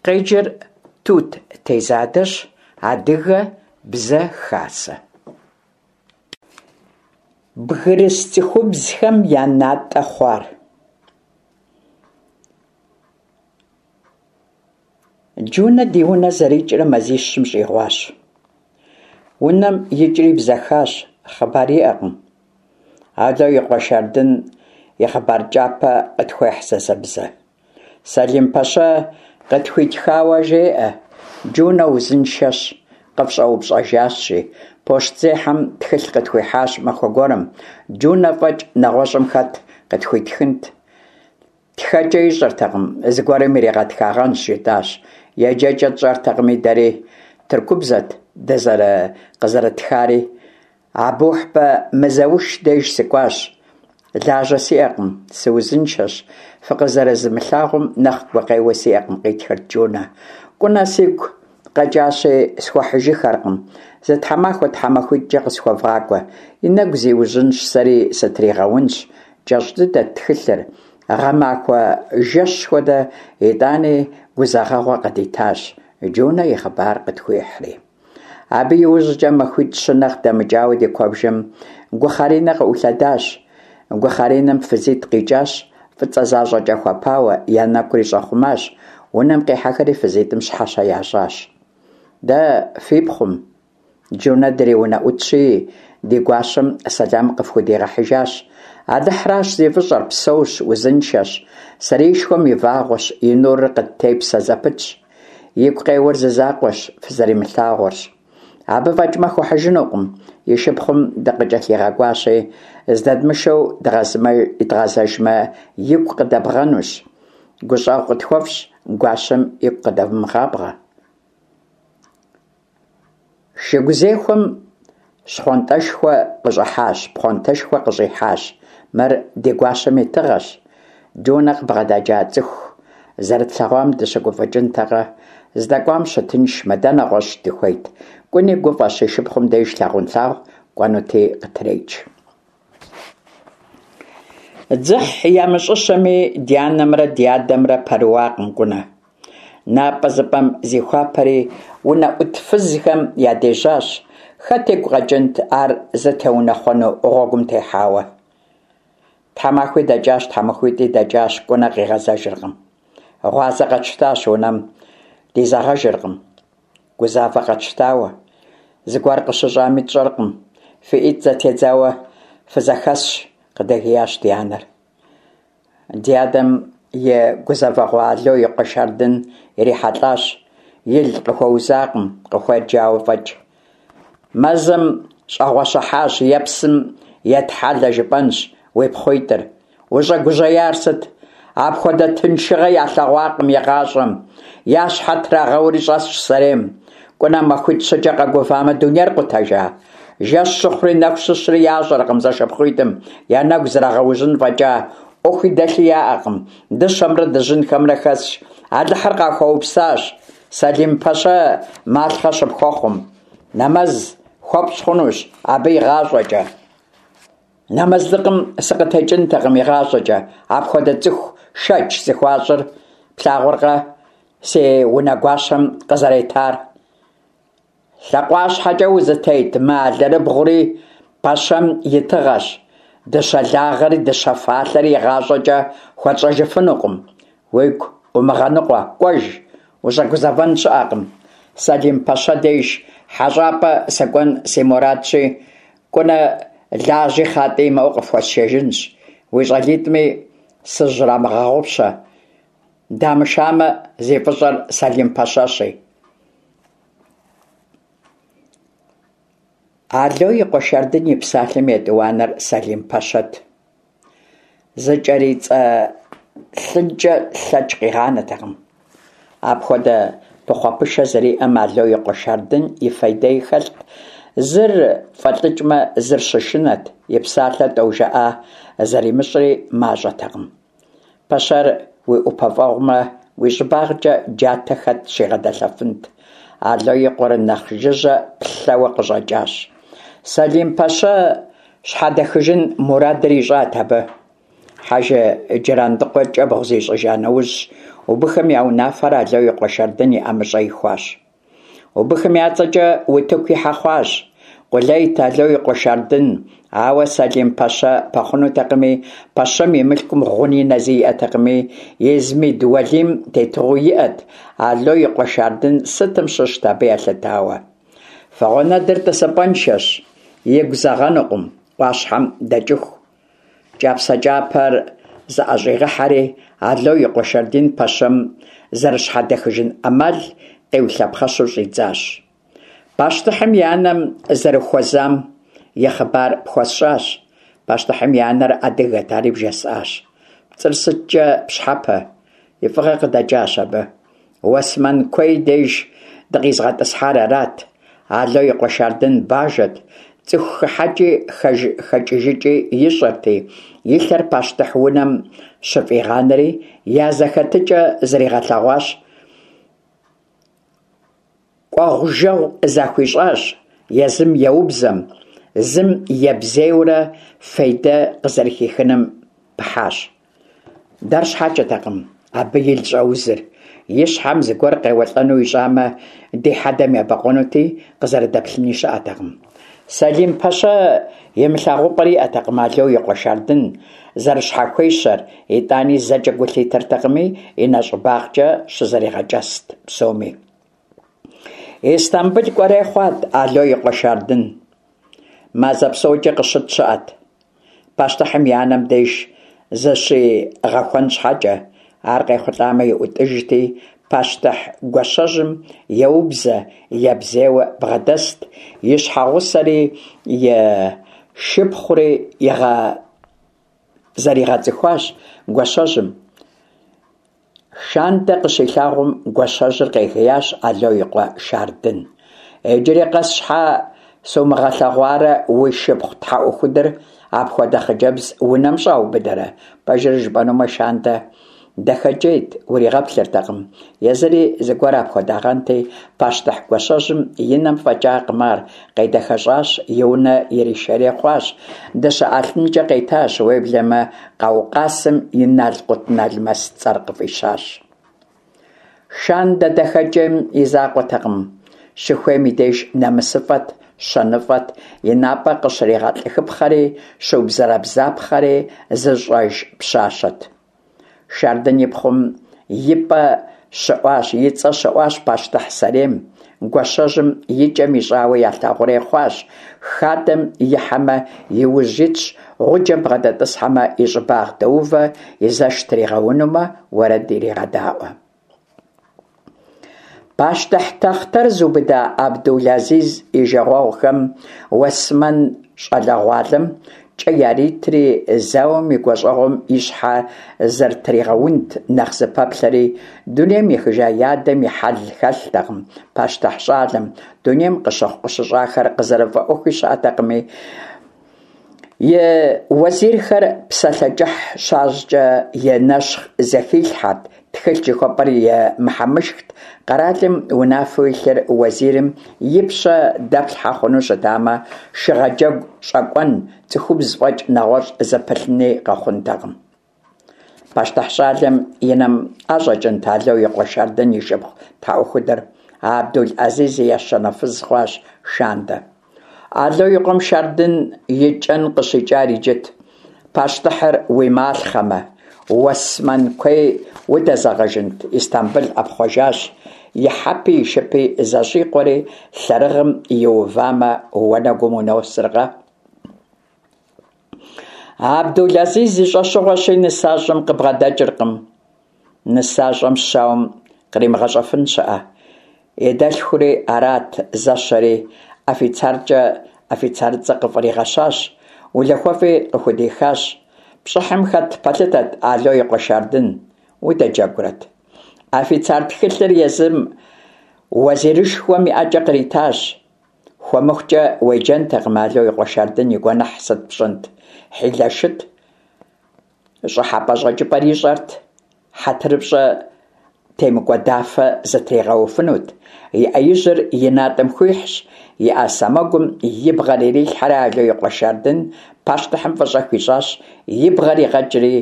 Къеджэр Тут Тезадэщ, Адыгэ бзэ хасэ. Бгырыс цӏыхубзхэм я натӏэ хъуар. Джунэ ди унэ зэрикӏрэ мазищым щӏигъуащ. Унэм икӏри бзэхащ, хъыбар иӏэкъым. Ало и къуэ Шардын и хъыбар кӏапэ къытхуехь зэзэмызэ. Сэлим-пэщэ къытхуитхауэ жеӏэ, Джунэ узыншэщ, къыфщӏэупщӏэжащ, жи. Пощтзехьэм тхылъ къытхуихьащ махуэ гуэрым. Джунэ фӏэкӏ нэгъуэщӏым хэт къытхуитхынт? Тхэкӏэ ищӏэртэкъым, зыгуэрым иригъэтхагъэнщ, жытӏащ. Еджэкӏэ тщӏэртэкъыми дэри, тыркубзэт къызэрыттхари. Абухьбэ Мызэуш деж сыкӏуащ. Лажьэ сиӏэкъым, сыузыншэщ, фыкъызэрызмылъагъум нэхъ гукъеуэ сиӏэкъым, къитхырт Джунэ. Кӏунэ сигу къэкӏащи, схуэхьыжыххэркъым. Зы тхьэмахуэ тхьэмахуитӏкӏэ къысхуэвгъакӏуэ. И нэгу зиужьынщ, сэри сытригъэунщ. Кӏэщӏ дыдэт тхылъыр, гъэмахуэ жэщ хуэдэ, итӏани гузэгъэгъуэ къыдитащ, Джунэ и хъыбар къытхуихьри. Абы иужькӏэ махуитӏ-щы нэхъ дэмыкӏауэ ди куэбжэм гухъэринэ къыӏулъэдащ. Гухъэринэм фызитӏ къикӏащ, фӏыцӏэ защӏэкӏэ хуэпауэ, я нэкӏури щӏэхъумащ. Унэм къихьэхэри фызитӏым щхьэщэ ящӏащ. Дэ фи пхъум, Джунэ дриунэӏутщи, ди гуащэм сэлам къыфхудигъэхьыжащ. Алыхьращ зи фӏыщӏэр, псэущ, узыншэщ, сэреишхуэм и вагъуэщ, и нурыр къыттепсэ зэпытщ. Игу къеуэр зы закъуэщ, фызэримылъагъурщ. Абы фӏэкӏмэ хуэхьыжынукъым, и шыпхъум дыкъыкӏэлъигъэкӏуащи, здэдмышэу дгъэзэжмэ, игу къыдэбгъэнущ. Гущӏэгъу къытхуэфщӏ, гуащэм игу къыдэвмыгъабгъэ. Шыгузехуэм щхъуантӏэшхуэ къыщӏыхьащ, пхъуантэшхуэ къыщӏихьащ. Мыр ди гуащэм и тыгъэщ. Джунэ къыбгъэдэкӏа цӏыху зэрытлъэгъуам дыщыгуфӏыкӏынтэкъэ? Здэкӏуам щытыншмэ, дэ нэгъуэщӏ дыхуейт. Кӏуни гуфӏэщ, и шыпхъум деж лъагъунлъагъу кӏуэнути къытреч. Дзыхь ямыщӏыщэми, ди анэмрэ ди адэмрэ пэрыуакъым Кӏунэ. Напӏэзыпӏэм зихуапэри, унэӏут фызхэм ядежьащ. Хэт игу къэкӏынт ар зытеунэхъуэну гъуэгум техьауэ? Тхьэмахуи дэкӏащ, тхьэмахуитӏи дэкӏащ, Кӏунэ къигъэзэжыркъым. Гъуазэ къэтщтащ, унэм дизэгъэжыркъым. Гузавэ къэтщтауэ, зыгуэр къыщыщӏами тщӏэркъым, фи ӏитӏ зэтедзауэ фызэхэсщ, къыдэгиящ ди анэр. Ди адэм и гузэвэгъуэ Ало и къуэ Шардын ирихьэлӏащ. Ил къыхуэузакъым, къыхуеджауэ фӏэкӏ. Мэзым щӏэгъуэщыхьащ е псым етхьэлэ жыпӏэнщ уи пхъуитӏыр. Ущӏэгужьеяр сыт? Апхуэдэ тыншыгъэ ялъэгъуакъым игъащӏэм. Я щхьэ трагъэури щӏэсщ сэрейм. Кӏунэ махуитӏ-щыкӏэ къэгувамэ, дунейр къутэжа? Жэщ щыхъури нэху щыщри ящӏэркъым зэшыпхъуитӏым, я нэгу зрагъэужьын фӏэкӏа, ӏуэхуи дэлъи яӏэкъым, дыщэмрэ дыжьынхэмрэ хэсщ. Алыхьыр къахуэупсащ, Сэлим-пэщэ малъхъэ щыпхуэхъум. Нэмэз хуэпщӏ хъунущ абы игъащӏэкӏэ. Нэмэзлыкъым сыкъытекӏынтэкъым игъащӏэкӏэ, апхуэдэ цӏыху шэч зыхуащӏыр плъагъуркъэ си унэгуащэм къызэретар? Лъакъуащхьэкӏэ узытет мы алэрыбгъури пэщэм и тыгъэщ, дыщэ лагъэри дыщэ фалъэри игъащӏэкӏэ хуэтщӏэжыфынукъым. Уигу умыгъэныкъуэ, кӏуэж, ущӏэгузэвэн щыӏэкъым. Сэлим-пэщэ деж хьэщӏапӏэ сыкӏуэн си мурадщи, Кӏунэ лажьи хъатӏи имыӏэу къыфхуэсшэжынщ, уи щӏалитӏми сыщрамыгъэгъупщэ. Дамышамэ, зи фӏыщӏэр Сэлим-пэщэщи. Ало и къуэ Шардын и псалъэм етӏуанэр Сэлим-пэщэт. Зыкӏэрицӏэлъынкӏэ лъэкӏ къигъанэтэкъым. Апхуэдэ пыхъуэпышэ зэриӏэм Ало и къуэ Шардын и фейдэи хэлът. Зыр фӏэлӏыкӏмэ, зыр щышынэт, и псалъэ тӏэу жыӏа зэримыщӏри мащӏэтэкъым. Пэщэр уи ӏупэфӏэгъумэ, уи щӏыбагъкӏэ джатэ хэт щигъэдэлъэфынт. Ало и къуэр нэхъ жыжьэ плъэуэ къыщӏэкӏащ. Сэлим-пэщэ щхьэдэхыжын мурадыр ищӏат абы. Хьэжы Джырандыкъуэ кӏэбгъу зищӏыжа нэужь, Убыхым я унафэр Ало и къуэ Шардын и ӏэмыщӏэ ихуащ. Убыхым я цӏэкӏэ утыку ихьэ хъуащ. Къулейт Ало и къуэ Шардын, ауэ Сэлим-пэщэ пэхъунутэкъыми, пэщэм и мылъкум гъуни нэзи иӏэтэкъыми, Измид уэлийм тетыгъуэу иӏэт, Ало и къуэ Шардын сытым щыщт абы елъытауэ. Фыгъуэнэдыр тӏысыпӏэншэщ, игу зэгъэнукъым ӏуащхьэм дэкӏыху. Кӏапсэ кӏапэр зыӏэщӏигъэхьэри, Ало и къуэ Шардын пэщэм зэрыщхьэдэхыжын ӏэмал къиулъэпхъэщу щӏидзащ. Пащтыхьым и анэм зэрыхуэзам и хъыбар пхуэсщӏащ. Пащтыхьым и анэр адыгэт, ари бжесӏащ. Пцӏыр сыткӏэ пщхьэпэ? И фӏыгъэ къыдэкӏащ абы. Уэсмэн куей деж дыкъизыгъэтӏысхьар арат. Ало и къуэ Шардын бажэт, цӏыху хыхьэкӏи хэкӏыжыкӏи ищӏэрти, и лъэр пащтыхь унэм щыфӏигъанэри, я зэхэтыкӏэ зригъэлъэгъуащ, кӏуэгъу-жэгъу захуищӏащ, езым еубзэм, зым ебзейурэ фейдэ къызэрыхихыным пыхьащ. Дэр щхьэкӏэтэкъым абы ил щӏэузыр. И щхьэм зыгуэр къеуэлӏэну ищӏамэ, ди хьэдэм ебэкъуэнути, къызэрыдэплъыни щыӏэтэкъым. Сэлим пэщэ имылъагъупӏэр иӏэтэкъым Ало и къуэ Шардын зэрыщхьэхуещэр, итӏани зэкӏэ гу лъитэртэкъыми, и нэщӏыбагъкӏэ щызэригъэкӏэст псоми. Истамбыл кӏуэрей хъуат Ало и къуэ Шардын. Мазэ псокӏэ къыщыт щыӏэт. Пащтыхьым и анэм деж зыщигъэхуэн щхьэкӏэ, ар къехъулӏамэ и ӏутӏыжти, пащтыхь гуащэжьым еубзэ, ебзейуэ бгъэдэст, и щхьэгъусэри и шыпхъури зэригъэцӏыхуащ гуащэжьым. Шандэ къыщилъагъум, гуащэжьыр къегиящ Ало и къуэ Шардын. Иджыри къэс щхьэ сумыгъэлъэгъуарэ уи шыпхъу тхьэӏухудыр апхуэдэ хъыджэбз унэм щӏаубыдэрэ? Пэжыр жыпӏэнумэ, Шандэ дахэкӏейт, уригъэплъыртэкъым. Езыри зыгуэр апхуэдагъэнти, пащтыхь гуащэжьым и нэм фӏэкӏакъым ар, къедэхэщӏащ, и унэ иришэрей хъуащ, дыщэ ӏэлъынкӏэ къетащ, уеблэмэ Къаукъасым и налкъутналмэс цӏэр къыфӏищащ. Шандэ дахэкӏейм и закъуэтэкъым, щыхуейм и деж нэмысыфӏэт, щэныфӏэт, и напӏэ къыщригъэлӏыхыпхъэри, щыубзэрэбзапхъэри зыщӏэж пщащэт. Шардын и пхъум и пӏэ щыӏуащ, и цӏэ щыӏуащ пащтыхь сэрейм, гуащэжьым и кӏэм ищӏауэ ялъагъурей хъуащ, хадэм ихьэмэ, и ужь итщ, гъуджэм бгъэдэтӏысхьэмэ, и щӏыбагъ дэувэ, и зэш тригъэунумэ, уэрэд ирегъэдаӏуэ. Пащтыхь тахътэр зыубыда Абдул-Азиз и жагъуэгъухэм уэсмэн щӏалэгъуалэм кӏэ яритри, зауэм и гуащӏэгъуэм и щхьэ зэрытригъэунт нэхъ зыпэплъэри, дунейм ехыжа и адэм и хьэл хэлътэкъым пащтыхь щӏалэм, дунейм къыщыхъу-къыщыщӏахэр къызэрыфӏэӏуэхуи щыӏэтэкъыми, и уэзирхэр псалъэ кӏыхь щащӏкӏэ и нэщхъ зэхилъхьэрт, тхылъ жыхуэпӏэр и мыхьэмышхт, къэралым унафэу илъыр уэзирым и пщэ дэплъхьэ хъуну щытамэ, шыгъэджэгу щӏэкӏуэн, цӏыхубз фӏэкӏ нэгъуэщӏ зыпылъыни къэхъунтэкъым. Пащтыхь щӏалэм и нэм ӏэщӏэкӏынт Ало и къуэ Шардын и шыпхъу тхьэӏухудыр. Абдул-Азиз и ещанэ фыз хъуащ Шандэ. Ало и къуэм Шардын и кӏэн къыщикӏар иджыт. Пащтыхьыр уи малъхъэмэ, Уэсмэн куей удэзэгъэжынт, Истамбыл ӏэпхъуэжащ, и хьэпи и шыпи зэщӏикъуэри, лъэрыгъым иувамэ, уанэгум уносыркъэ? Абдул-Азиз и щӏэщыгъуэщи, нысащӏэм къыбгъэдэкӏыркъым. Нысащӏэм щауэм къримыгъэщӏэфын щыӏэ? И дэлъхури арат зэщэри, афицаркӏэ афицарыцӏэ къыфӏригъэщащ, улахуэфӏи къыхудихащ. Пщӏыхьым хэт пэлъытэт Ало и къуэ Шардын, удэджэгурэт? Афицар тхылъыр езым уэзирышхуэм и ӏэкӏэ къритащ. Хуэмыхукӏэ уеджэнтэкъым Ало и къуэ Шардын и гуэныхь сыт пщӏынт? Хьилэшыт, щӏыхьэпӏэ-щӏэкӏыпӏэр ищӏэрт, хьэтырыпщӏэ темыкӏуэдафэ зытригъэуфынут. И ӏэ ижьыр и натӏэм хуихьщ, и ӏэ сэмэгум и бгъэр ирилъхьэри Ало и къуэ Шардын пащтыхьым фӏыщӏэ хуищӏащ, и бгъэр игъэкӏри.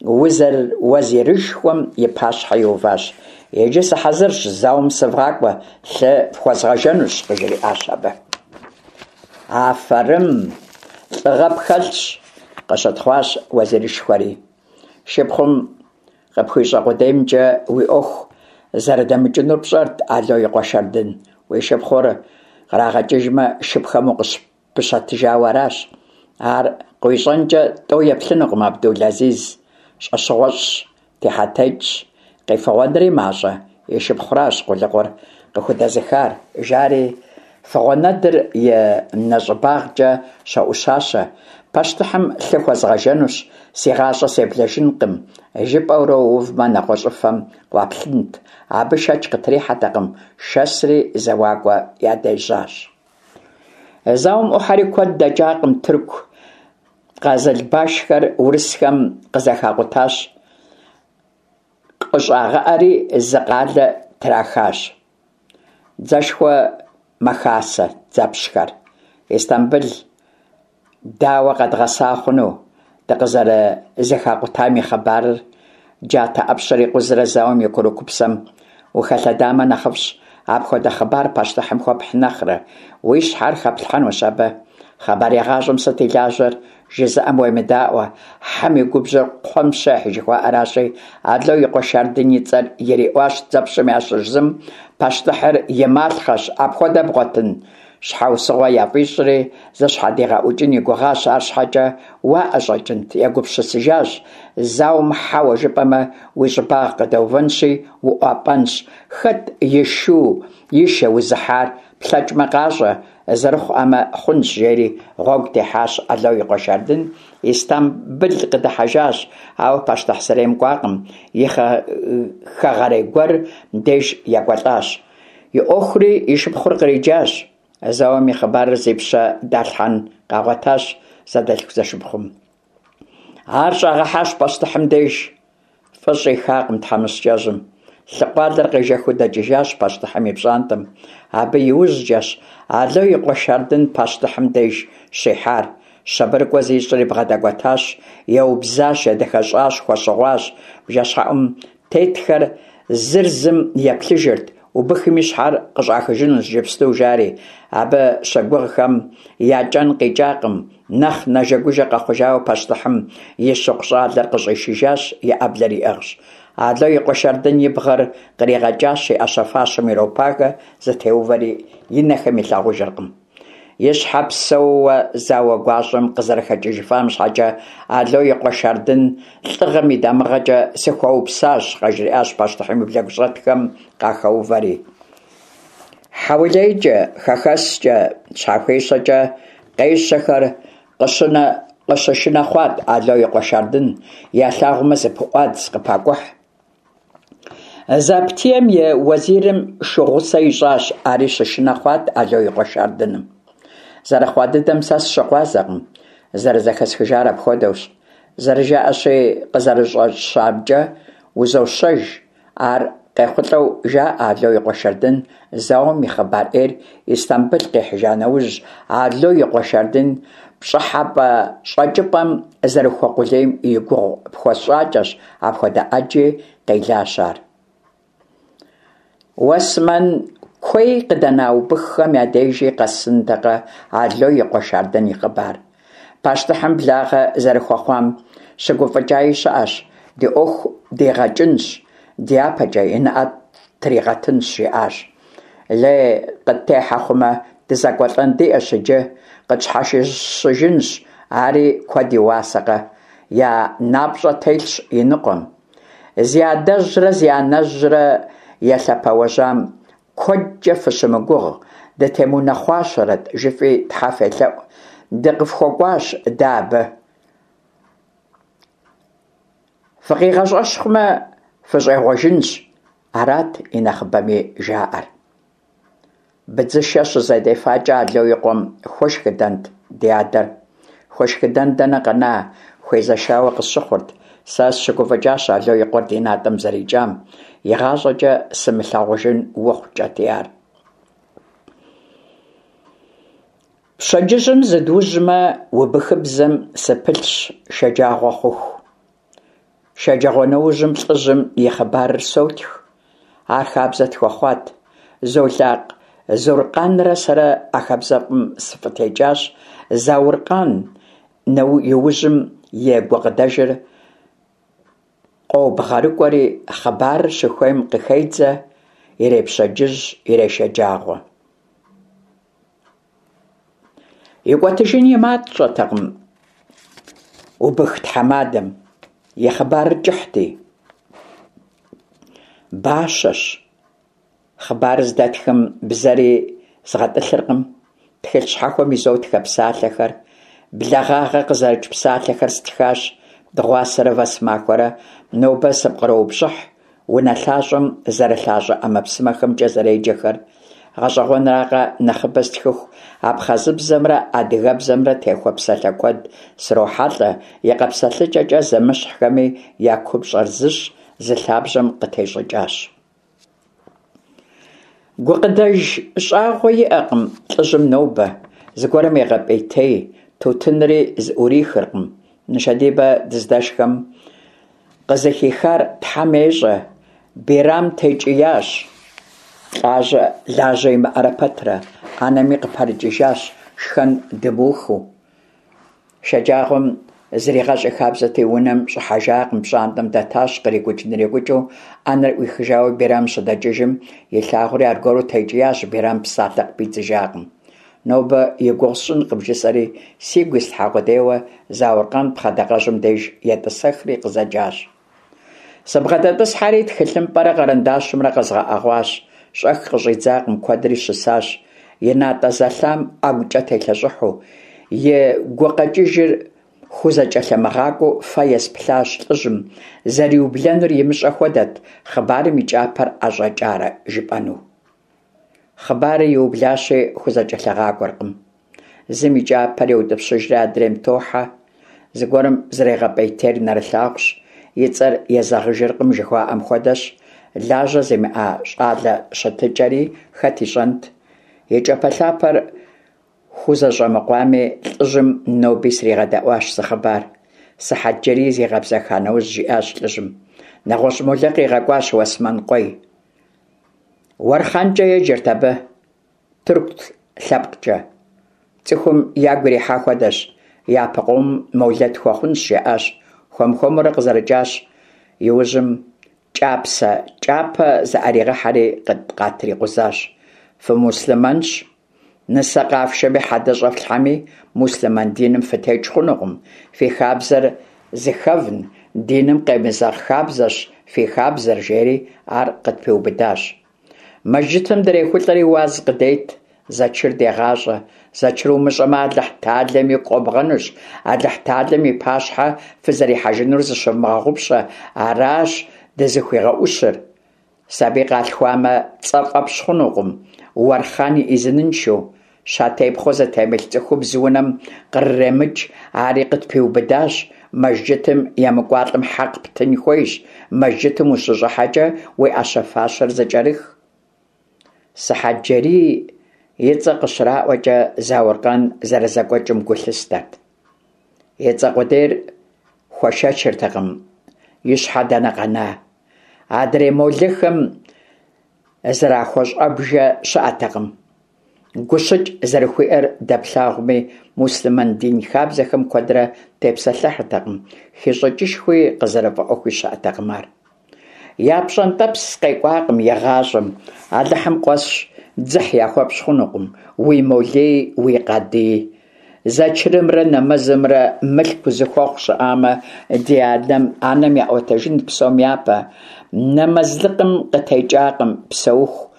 Уэзирышхуэм и пащхьэ иуващ. Иджы сыхьэзырщ, зауэм сывгъакӏуэ, лъы фхуэзгъэжэнущ, къыжриӏащ абы. Афэрым, лӏыгъэ пхэлъщ, къыщытхъуащ уэзирышхуэри. Шыпхъум къыпхуищӏэ къудеймкӏэ уи ӏуэху зэрыдэмыкӏынур пщӏэрт, Ало и къуэ Шардын. Уи шыпхъур кърагъэкӏыжмэ, шыпхэм укъыпыщэтыжауэ аращ. Ар къыуищӏэнкӏэ тӏэу еплъынукъым Абдул-Азиз. Щӏэщыгъуэщӏщ, техьэтекӏщ, къефыгъуэнри мащӏэ, и шыпхъуращ къулыкъур къыхудэзыхар, жари фыгъуэнэдыр и нэщӏыбагъкӏэ щоӏущащэ, пащтыхьым лъы хуэзгъэжэнущ, си гъащӏэ себлэжынкъым, жыпӏэурэ уувмэ, нэгъуэщӏыфэм къуаплъынт. Абы шэч къытрихьэтэкъым, шэсри зэуакӏуэ ядежьащ. Зауэм ӏухьэри куэд дэкӏакъым, тырку къазылбашхэр урысхэм къызэхакъутащ, къыщӏагъэӏэри зы къалэ трахащ. Дзэшхуэ мэхасэ дзэпщхэр. Истамбыл дауэ къэдгъэса хъуну дыкъызэрызэхакъутам и хъыбарыр? Джатэ ӏэпщэр икъузрэ зауэм и курыкупсэм ухэлъэдамэ нэхъыфӏщ, апхуэдэ хъыбар пащтыхьым хуэпхь нэхърэ, уи щхьэр хэплъхьэнущ абы. Хъыбарегъащӏэм сыт и лажьэр? Жызыӏэм уемыдаӏуэ, хьэм и губжьыр кхъуэм щехь жыхуаӏэращи, Ало и къуэ Шардын и цӏэр ириӏуащ дзэпщым ящыщ зым, пащтыхьыр и малъхъэщ, апхуэдэ бгъуэтын? Щхьэусыгъуэ яфӏищӏри, зыщхьэдигъэӏукӏын и гугъащ, арщхьэкӏэ уаӏэщӏэкӏынт, егупсысыжащ, зауэм хьэуэ жыпӏэмэ, уи щӏыбагъ къыдэувэнщи, уӏуапӏэнщ, хэт и шу и шэ узыхьар, плъэкӏмэ къащӏэ, зэрыхъуӏэмэ хъунщ, жери гъуэгу техьащ Ало и къуэ Шардын, Истамбыл къыдыхьэжащ, ауэ пащтыхь сэрейм кӏуакъым, и хэгъэрей гуэр деж екӏуэлӏащ. И ӏуэхури и шыпхъур къриджащ. Зауэм и хъыбарыр зи пщэ далъхьэн къагъуэтащ зэдэлъху-зэшыпхъум. Ар щӏагъэхьащ пащтыхьым деж. Фӏы щӏихакъым тхьэмыщкӏэжьым. Лъыкъуалэр къежэхыу дэкӏыжащ пащтыхьым и пщӏантӏэм. Абы и ужькӏэщ Ало и къуэ Шардын пащтыхьым деж щихьар. Щабэрыкӏуэ зищӏри бгъэдэкӏуэтащ, еубзащ, едэхэщӏащ, хуэщыгъуащ. Бжэщхьэӏум тетхэр зыр зым еплъыжырт, убыхым и щхьэр къыщӏахыжынущ иджыпсту, жари. Абы щыгугъхэм я кӏэн къикӏакъым. Нэхъ нэжэгужэ къэхъужауэ пащтыхьым и щыкъу щӏалэр къыщӏишыжащ, и ӏэблэр иӏыгъщ. Ало и къуэ Шардын и бгъэр къригъэкӏащ, и ӏэщэ-фащэм иропагэ, зытеувэри и нэхэм илъагъужыркъым. И щхьэ псэууэ зауэ гуащӏэм къызэрыхэкӏыжыфам щхьэкӏэ Ало и къуэ Шардын лӏыгъэм и дамыгъэкӏэ сыхуэупсащ, къажриӏащ пащтыхьым и блэгущӏэтхэм къахэувэри. Хьэулейкӏэ, хэхэскӏэ, щхьэхуещэкӏэ къещэхэр къыщынэ къыщышынэ хъуат Ало и къуэ Шардын, ялъагъумэ зыпыӏуадз, къыпакӏухь. Заптием и уэзирым шу гъусэ ищӏащ, ари щышынэ хъуат Ало и къуэ Шардыным. Зэрыхъуа дыдэм сэ сыщыгъуазэкъым, зэрызэхэсхыжар апхуэдэущ. Зэрыжаӏэщи, къызэрыщӏэщамкӏэ узощэж. Ар къехъулӏэу жаӏэ Ало и къуэ Шардын зауэм и хъыбар ӏейр Истамбыл къихьыжа нэужь, Ало и къуэ Шардын пщӏыхьэпӏэ щӏэкӏыпӏэм зэрыхуэкъулейм и гугъу пхуэсщӏакӏэщ, апхуэдэ ӏэджи къелащ ар. Уэсмэн куей къыдэна убыххэм я дежи къэсынтэкъэ Ало и къуэ Шардын и хъыбар. Пащтыхьым благъэ зэрыхуэхъуам щыгуфӏыкӏаи щыӏэщ, ди ӏуэху дигъэкӏынщ, дяпэкӏэ и нэӏэ тригъэтынщ, жиӏащ. Лей къыттехьэ хъумэ, дызэкӏуэлӏэн диӏэщ иджы, къытщхьэщыжынщ, ари куэд и уасэкъэ? Я напщӏэ телъщ иныкъуэм. Зи адэжьрэ зи анэжьрэ елъэпэуэжьам Куэдкӏэ фыщымыгугъ, дытемыунэхъуащэрэт, жыфӏи тхьэ фелъэӏу, дыкъыфхуэкӏуащ дэ абы. Фыкъигъэщӏэщхъумэ, фыщӏегъуэжынщ, арат и нэхъыбэми жаӏэр. Быдзышэ щызэдефакӏэ Ало и къуэм хуэшхыдэнт ди адэр. Хуэшхыдэн дэнэ къэна, хуезэшауэ къысщыхъурт. Сэ сыщыгуфӏыкӏащ Ало и къуэр ди натӏэм зэрикӏам. Игъащӏэкӏэ сымылъагъужын ухъу, кӏэтӏий ар. Пщэдджыжьым зыдужьмэ, убыхыбзэм сыпылъщ шэджагъуэ хъуху. Шэджагъуэнэужьым лӏыжьым и хъыбарыр сотх. Ар хабзэ тхуэхъуат. Золакъ Зуркъанрэ сэрэ а хабзэфӏым сыфӏытекӏащ. Зауркъан иужьым и гукъыдэжыр къобгъэрыкӏуэри, хъыбарыр щыхуейм къыхедзэ, ирепщэдджыжь, ирешэджагъуэ. Икӏуэтыжын и мащӏэтэкъым убых тхьэмадэм, и хъыбарыр кӏыхьти. Бащэщ. Хъыбарыр здэтхым бзэри згъэтӏылъыркъым, тхылъ щхьэхуэм изотхэ псалъэхэр, благъагъэ къызэрыкӏ псалъэхэр стхащ дыгъуасэрэ вэсмахуэрэ, нобэ сыпкъроупщӏыхь унэлъащӏэм зэрылъащӏэ ӏэмэпсымэхэмкӏэ зэреджэхэр. Гъэщӏэгъуэнракъэ, нэхъыбэ стхыху абхъазыбзэмрэ адыгэбзэмрэ техуэ псалъэ куэд срохьэлӏэ, и къэпсэлъыкӏэкӏэ зэмыщхьхэми я купщӏэр зыщ, зы лъабжьэм къытещӏыкӏащ. Гукъыдэж щӏагъуэ иӏэкъым лӏыжьым нобэ, зыгуэрым егъэпӏейтей, тутынри зыӏурихыркъым. Нышэдибэ дыздэшхэм къызыхихар Тхьэм ещӏэ, Бирам текӏиящ, лӏажьэ лажьэ имыӏэрэ пэтрэ, ӏэнэми къыпэрыкӏыжащ шхэн дымыухыу. Шэджагъуэм зригъэщӏ и хабзэти, унэм щӏыхьэжакъым, пщӏантӏэм дэтащ, кърикӏукӏ-нрикӏукӏыу ӏэнэр ӏуихыжауэ Бирам щыдэкӏыжым, илъагъури аргуэру текӏиящ, Бирам псалъэ къыпидзыжакъым. Нобэ и гугъу сщӏынкъым, жысӏэри, сигу ислъхьа къудейуэ, Зауркъан пхъэдакъэжьым деж етӏысэхри къызэджащ. Сыбгъэдэтӏысхьэри, тхылъымпӏэрэ къэрэндащымрэ къэзгъэӏэгъуащ. Щӏэх къыщӏидзакъым, куэдри щысащ, и натӏэ зэлъам ӏэгукӏэ телъэщӏыхьу, и гукъэкӏыжыр хузэкӏэлъымыгъакӏуэу фэ есплъащ лӏыжьым, зэриублэнур имыщӏэ хуэдэт, хъыбарым и кӏапэр ӏэщӏэкӏарэ жыпӏэну. Хъыбарыр иублащи, хузэкӏэлъыгъакӏуэркъым. Зым и кӏапэр еутӏыпщыжри адрейм тохьэ. Зыгуэрым зэригъэпӏейтейр нэрылъагъущ, и цӏэр езэгъыжыркъым жыхуаӏэм хуэдэщ. Лажьэ зимыӏэ щӏалэ щытыкӏэри хэт ищӏэнт? И кӏапэлъапэр хузэщӏэмыкъуами, лӏыжьым ноби сригъэдэӏуащ зы хъыбар. Сыхьэтджэрий зигъэбзэха нэужь, жиӏащ лӏыжьым. Нэгъуэщӏ молэ къигъэкӏуащ Уэсмэн къуей. Уэрхъанкӏэ еджэрт абы, тыркут лъэпкъкӏэ. Цӏыхум ягу ирихьа хуэдэщ, япэ къомым молэ тхуэхъунщ, жаӏащ. Хуэм-хуэмурэ къызэрыкӏащ. Иужьым кӏапсэ кӏапэ зыӏэригъэхьэри къатрикъузащ. Фымуслъымэнщ. Нысэ къафшэми хьэдэ щӏэфлъхьэми, муслъымэн диным фытекӏ хъунукъым, фи хабзэр зыхэвн, диным къемызэгъ хабзэщ фи хабзэр, жери ар къытпиубыдащ. Мэжджытым дрехулӏэри уаз къыдет, зэчыр дегъащӏэ. Зэчыр умыщӏэмэ, Алыхьталэм игу къобгъэнущ, Алыхьталэм и пащхьэ фызэрихьэжынур зыщывмыгъэгъупщэ, аращ дызыхуигъэӏущыр. Сабий къалъхуамэ, цӏэ фӏэпщ хъунукъым, Уэрхъан и ӏизыныншэу. Щатепхъуэ зытемылъ цӏыхубз унэм кърыремыкӏ, ари къытпиубыдащ. Мэжджытым емыкӏуалӏэм хьэкъ птын хуейщ, мэжджытым ущыщӏыхьэкӏэ уи ӏэщэ-фащэр зыкӏэрых. Сыхьэтджэрий и цӏэ къыщраӏуэкӏэ Зауркъан зэрызэкӏуэкӏым гу лъыстэрт. И цӏэ къудейр хуэшэчыртэкъым, и щхьэ дэнэ къэна. Адрей молэхэм зэрахуэщӏэбжэ щыӏэтэкъым. Гущыкӏ зэрыхуиӏэр дэплъагъуми, муслъымэн дин хабзэхэм куэдрэ тепсэлъыхьыртэкъым, хищӏыкӏышхуи къызэрыфӏэӏуэхуи щыӏэтэкъым ар. Я пщӏэнтӏэпс къекӏуакъым игъащӏэм, Алыхьым къуэсщ, дзыхь яхуэпщӏ хъунукъым, уи молэи уи къадыи. Зэчырымрэ нэмэзымрэ мылъку зыхуэхъу щыӏамэ, ди адэм, анэм яӏуэтэжынт псом япэ. Нэмэзлыкъым къытекӏакъым псэуху,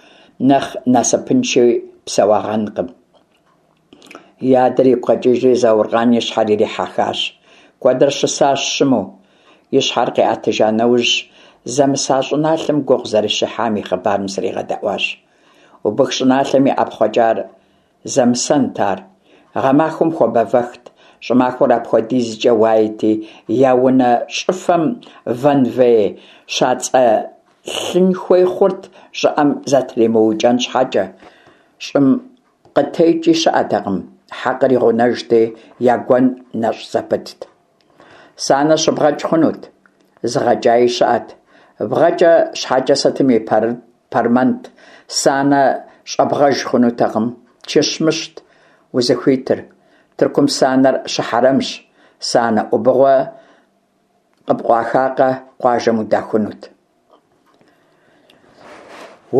нэхъ насыпынши псэуагъэнкъым. И адэр игу къэкӏыжри, Зауркъан и щхьэр ирихьэхащ. Куэдрэ щысащ щыму. И щхьэр къиӏэтыжа нэужь, зэмыса щӏыналъэм гугъу зэрыщехьам и хъыбарым сригъэдэӏуащ. Убых щӏыналъэм и ӏэпхъуэкӏар Зэмысэнт ар. Гъэмахуэм хуабэвэхт, щӏымахуэр апхуэдизкӏэ уаети, я унэ щӏыфэм вэнвей щацӏэлъын хуей хъурт щӏыӏэм зэтримыукӏэн щхьэкӏэ. Щӏым къытекӏи щыӏэтэкъым, хьэкъыр и гъунэжти, я гуэн нэщӏ зэпытт. Санэ щыбгъэкӏ хъунут. зыгъэкӏаи щыӏэт. Бгъэкӏэ щхьэкӏэ сытым и пэрмэнт, санэ щӏэбгъэж хъунутэкъым, чыщмыщт узыхуитыр. Тыркум санэр щыхьэрэмщ, санэ ӏубыгъуэ къыпкъуахакъэ, къуажэм удахунут.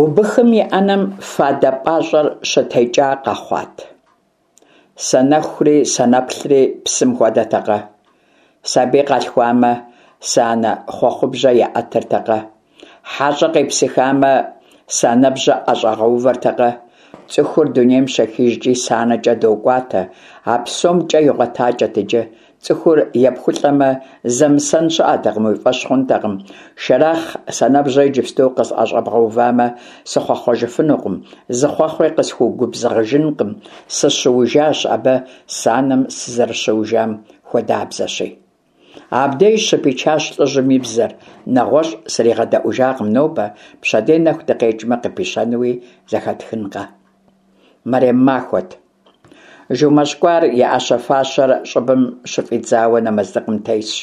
Убыхым и ӏэнэм фадэ пӏащӏэр щытекӏа къэхъуат. Санэхури санэплъри псым хуэдэтэкъэ? Сабий къалъхуамэ, санэ хъуэхъубжьэ яӏэтыртэкъэ? Хьэщӏэ къепсыхамэ, санэбжьэ ӏэщӏагъэувэртэкъэ? Цӏыхур дунейм щехыжкӏи санэкӏэ докӏуатэ, а псом кӏэ игъуэтакӏэт иджы. Цӏыхур епхулӏэмэ, зэмысэн щыӏэтэкъым, уи фӏэщ хъунтэкъым. Шэрахъ санэбжьэ иджыпсту къысӏэщӏэбгъэувамэ, сыхъуэхъуэжыфынукъым, зы хъуэхъуи къысхуэгубзыгъыжынкъым, сыщыужащ абы санэм сызэрыщыужам хуэдабзэщи. Абдеж щыпичащ лӏыжьым и бзэр, нэгъуэщӏ сригъэдэӏужакъым нобэ, пщэдей нэху дыкъекӏмэ къыпищэнуи зэхэтхынкъэ. Мэрем махуэт. Жумэщӏ кӏуар и ӏэщэ-фащэр щӏыбым щыфӏидзауэ нэмэзлыкъым тесщ.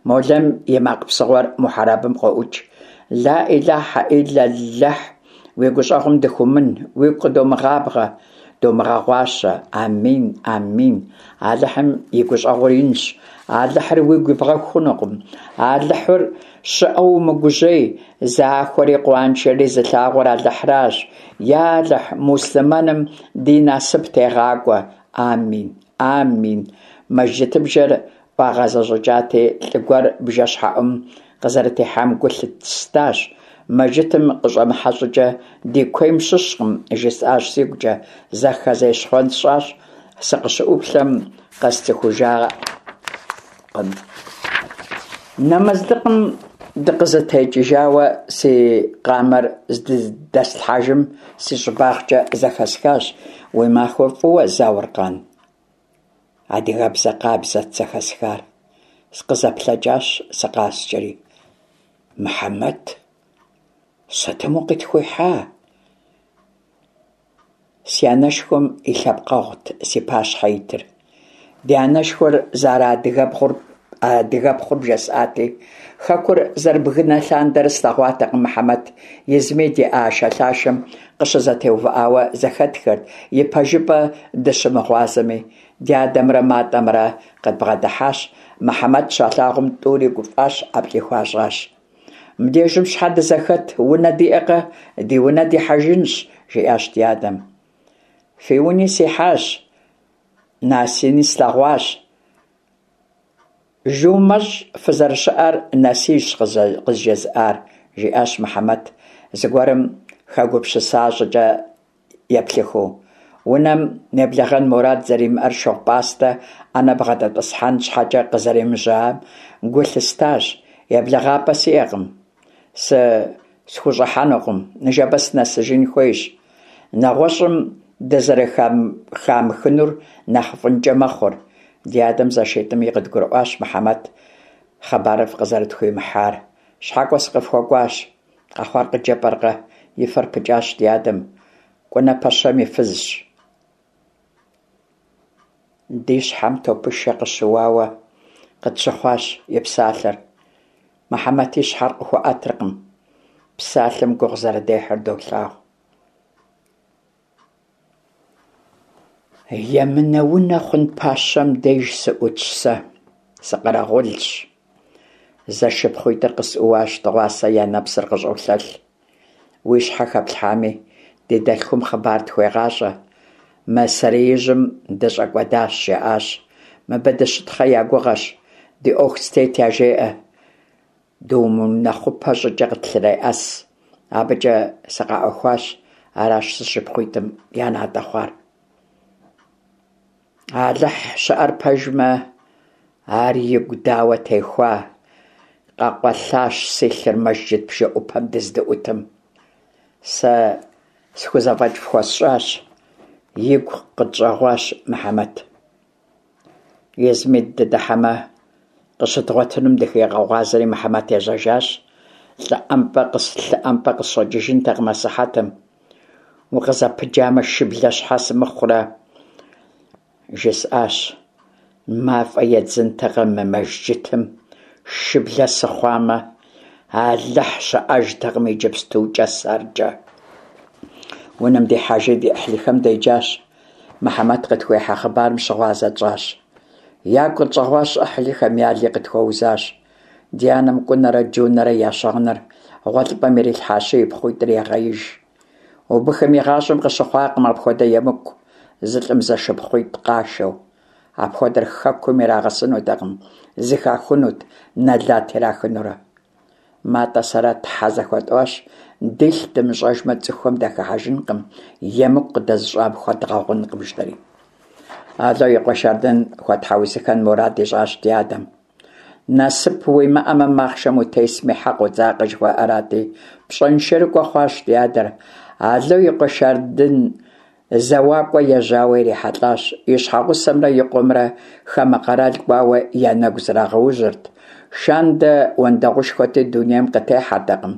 Молэм и макъ псыгъуэр мухьэрабым къоӏукӏ. Ла ӏилахьэ ӏиллэллэхь, уи гущӏэгъум дыхыумын, уигу къыдомыгъабгъэ, домыгъэгъуащэ. Амин, амин. Алыхьым и гущӏэгъур инщ. Алыхьыр уигу ибгъэху хъунукъым. Алыхьыр щыӏэу умыгужьей, захуэри къуаншэри зылъагъур Алыхьращ. Я Алыхь, муслъымэным ди насып тегъакӏуэ. Амин, амин. Мэжджытыбжэр ӏуагъэзэщӏыкӏати, лӏы гуэр бжэщхьэӏум къызэрытехьам гу лъыстащ. Мэжджытым къыщӏэмыхьэ щӏыкӏэ ди куейм щыщкъым, жысӏащ сигукӏэ, зэхэзещхъуэн сщӏащ, сыкъыщыӏуплъэм къэсцӏыхужакъым. Нэмэзлыкъым дыкъызэтекӏыжауэ си къамэр здэслъхьэжым си щӏыбагъкӏэ зэхэсхащ, Уи махуэ фӏыуэ, Зауркъан! Адыгэбзэ къабзэт зэхэсхар. Сыкъызэплъэкӏащ сыкъаскӏэри. Мыхьэмэт, сытым укъытхуихьа? Си анэшхуэм и лъэпкъэгъут си пащхьэ итыр. Ди анэшхуэр зэрыадыгэбгъур адыгэпхъур бжесӏати, хэкур зэрыбгынэ лъандэрэ слъэгъуатэкъым Мыхьэмэт. Измид и ӏэшэлъашэм къыщызэтеувыӏауэ зэхэтхырт, и пэжыпӏэ дыщымыгъуазэми. Ди адэмрэ Матӏэмрэ къыдбгъэдыхьащ. Мыхьэмэт щалъагъум тӏури гуфӏащ, ӏэплӏи хуащӏащ. Мыбдежым щхьэ дызэхэт, унэ диӏэкъэ, ди унэ дихьэжынщ, жиӏащ ди адэм. Фи уни сихьащ, Насини слъэгъуащ. Жумэщӏ фызэрыщыӏэр Насищ къызжезыӏар, жиӏащ Мыхьэмэт, зыгуэрым хэгупсыса щӏыкӏэ еплъыхыу. Унэм неблэгъэн мурад зэримыӏэр шыгъу-пӏастэ ӏэнэ бгъэдэтӏысхьэн щхьэкӏэ къызэремыжьам гу лъыстащ. Еблэгъапӏэ сиӏэкъым. Схущӏыхьэнукъым, ныжэбэ сынэсыжын хуейщ. Нэгъуэщӏым дызэрыхамыхынур нэхъыфӏынкӏэ мэхъур. Ди адэм зэшитӏми къыдгурыӏуащ Мыхьэмэт хъыбарыфӏ къызэрытхуимыхьар. Щхьэкӏуэ сыкъыфхуэкӏуащ. Къэхъуар къыджепӏэркъэ? И фэр пыкӏащ ди адэм. Кӏунэ пэщэм и фызщ. Ди щхьэм топышэ къыщыуауэ къытщыхъуащ и псалъэр. Мыхьэмэт и щхьэр къыхуэӏэтыркъым. Псалъэм гугъу зэрыдехьыр долъагъу. Емынэ унэ хъун пащэм деж сыӏутщ сэ, сыкъэрэгъулщ. Зэшыпхъуитӏыр къысӏууащ, дыгъуасэ я нэпсыр къыщӏолъэлъ. Уи щхьэ хэплъхьами, ди дэлъхум хъыбар тхуегъащӏэ. Мы сэреижьым дыщӏэкӏуэдащ, жаӏащ. Мыбы дыщытхъэ я гугъэщ, ди ӏуэху зытет яжеӏэ. Думыунэхъупэ щӏыкӏэ къытлъреӏэс. Абыкӏэ сыкъаӏуэхуащ, аращ зэшыпхъуитӏым я натӏэ хъуар. Алыхь щыӏэр пэжмэ, ар игу дауэ техуа, къэкъуэлъащ си лъыр мэжджыт бжэӏупэм дыздыӏутым. Сэ схузэфӏэкӏ фхуэсщӏащ, игу къытщӏэгъуащ Мыхьэмэт. Измид дыдыхьэмэ, къыщыдгъуэтынум дыхигъэгъуазэри Мыхьэмэт ежьэжащ. Лӏы ӏэмпӏэ къысщӏэкӏыжынтэкъым асыхьэтым. Укъызэпыджамэ, шыблэ щхьэ сымыхъурэ? Жысӏащ. Мафӏэ едзынтэкъэ мы мэжджытым? Шыблэ сыхъуамэ, Алыхь щыӏэжтэкъым иджыпстукӏэ сэркӏэ. Унэм дихьэжри ди ӏыхьлыхэм деджащ. Мыхьэмэт къытхуихьа хъыбарым щыгъуазэ тщӏащ. Ягу къытщӏэгъуащ ӏыхьлыхэм, яли къытхуэузащ. Ди анэм Кӏунэрэ Джунэрэ я щыгъыныр гъуэлъыпӏэм ирилъхьащи, и пхъуитӏыр егъеиж. Убыхым игъащӏэм къыщыхъуакъым апхуэдэ емыкӏу, зы лӏым зэшыпхъуитӏ къашэу. Апхуэдэр хэкум ирагъэсынутэкъым, зыхахунут, нэлат ирахынурэ. Матӏэ сэрэ тхьэ зэхуэтӏуащ, дилъ дымыщӏэжмэ, цӏыхухэм дахыхьэжынкъым, емыкӏу къыдэзыщӏам хуэдгъэгъункъым, жытӏэри. Ало и къуэ Шардын хуэтхьэусыхэн мурад ищӏащ ди адэм. Насып уимыӏэмэ, махъшэм утесми, хьэ къодзакъэ жыхуаӏэрати, пщӏэншэрыкӏуэ хъуащ ди адэр. Ало и къуэ Шардын зэуакӏуэ ежьауэ ирихьэлӏащ, и щхьэгъусэмрэ и къуэмрэ хамэ къэрал кӏуауэ я нэгу зрагъэужьырт. Шандэ уэндэгъушхуэти, дунейм къытехьэртэкъым.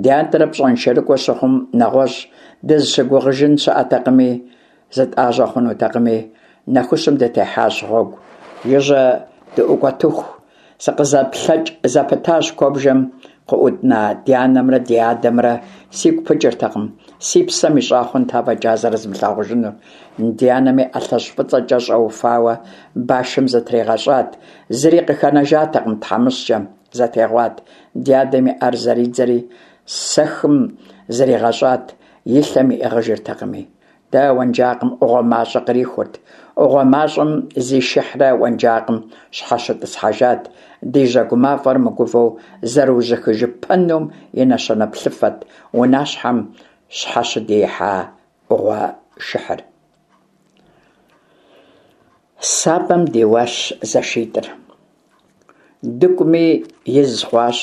Ди адэр пщӏэншэрыкӏуэ щыхъум, нэгъуэщӏ дызыщыгугъыжын щыӏэтэкъыми, зытӏажьэ хъунутэкъыми, нэхущым дытехьащ гъуэгу. Жыжьэ дыӏукӏуэтыху, сыкъызэплъэкӏ зэпытащ куэбжэм къыӏутна ди анэмрэ ди адэмрэ сигу пыкӏыртэкъым, си псэм ищӏа хъунт афӏэкӏа зэрызмылъагъужынур. Ди анэми ӏэлъэщӏ фӏыцӏэкӏэ щӏэуфауэ башым зытригъэщӏат, зыри къыхэнэжатэкъым тхьэмыщкӏэм, зэтегъуат. Ди адэм и ӏэр зэридзэри сэхым зригъэщӏат, и лъэм иӏыгъыжыртэкъыми. Дэ уэнжакъым ӏугъуэ мащӏэ кърихурт. ӏугъуэ мащӏэм зишыхьрэ уэнжакъым щхьэщытӏысхьэжат. Ди жьэгу мафӏэр мыгувэу зэрыужьыхыжыпэнум и нэщэнэ плъыфэт унащхьэм щхьэщыдиихьа ӏугъуэ шыхьыр. Сабэм диуащ зэшитӏыр. Дыкӏуми из хъуащ.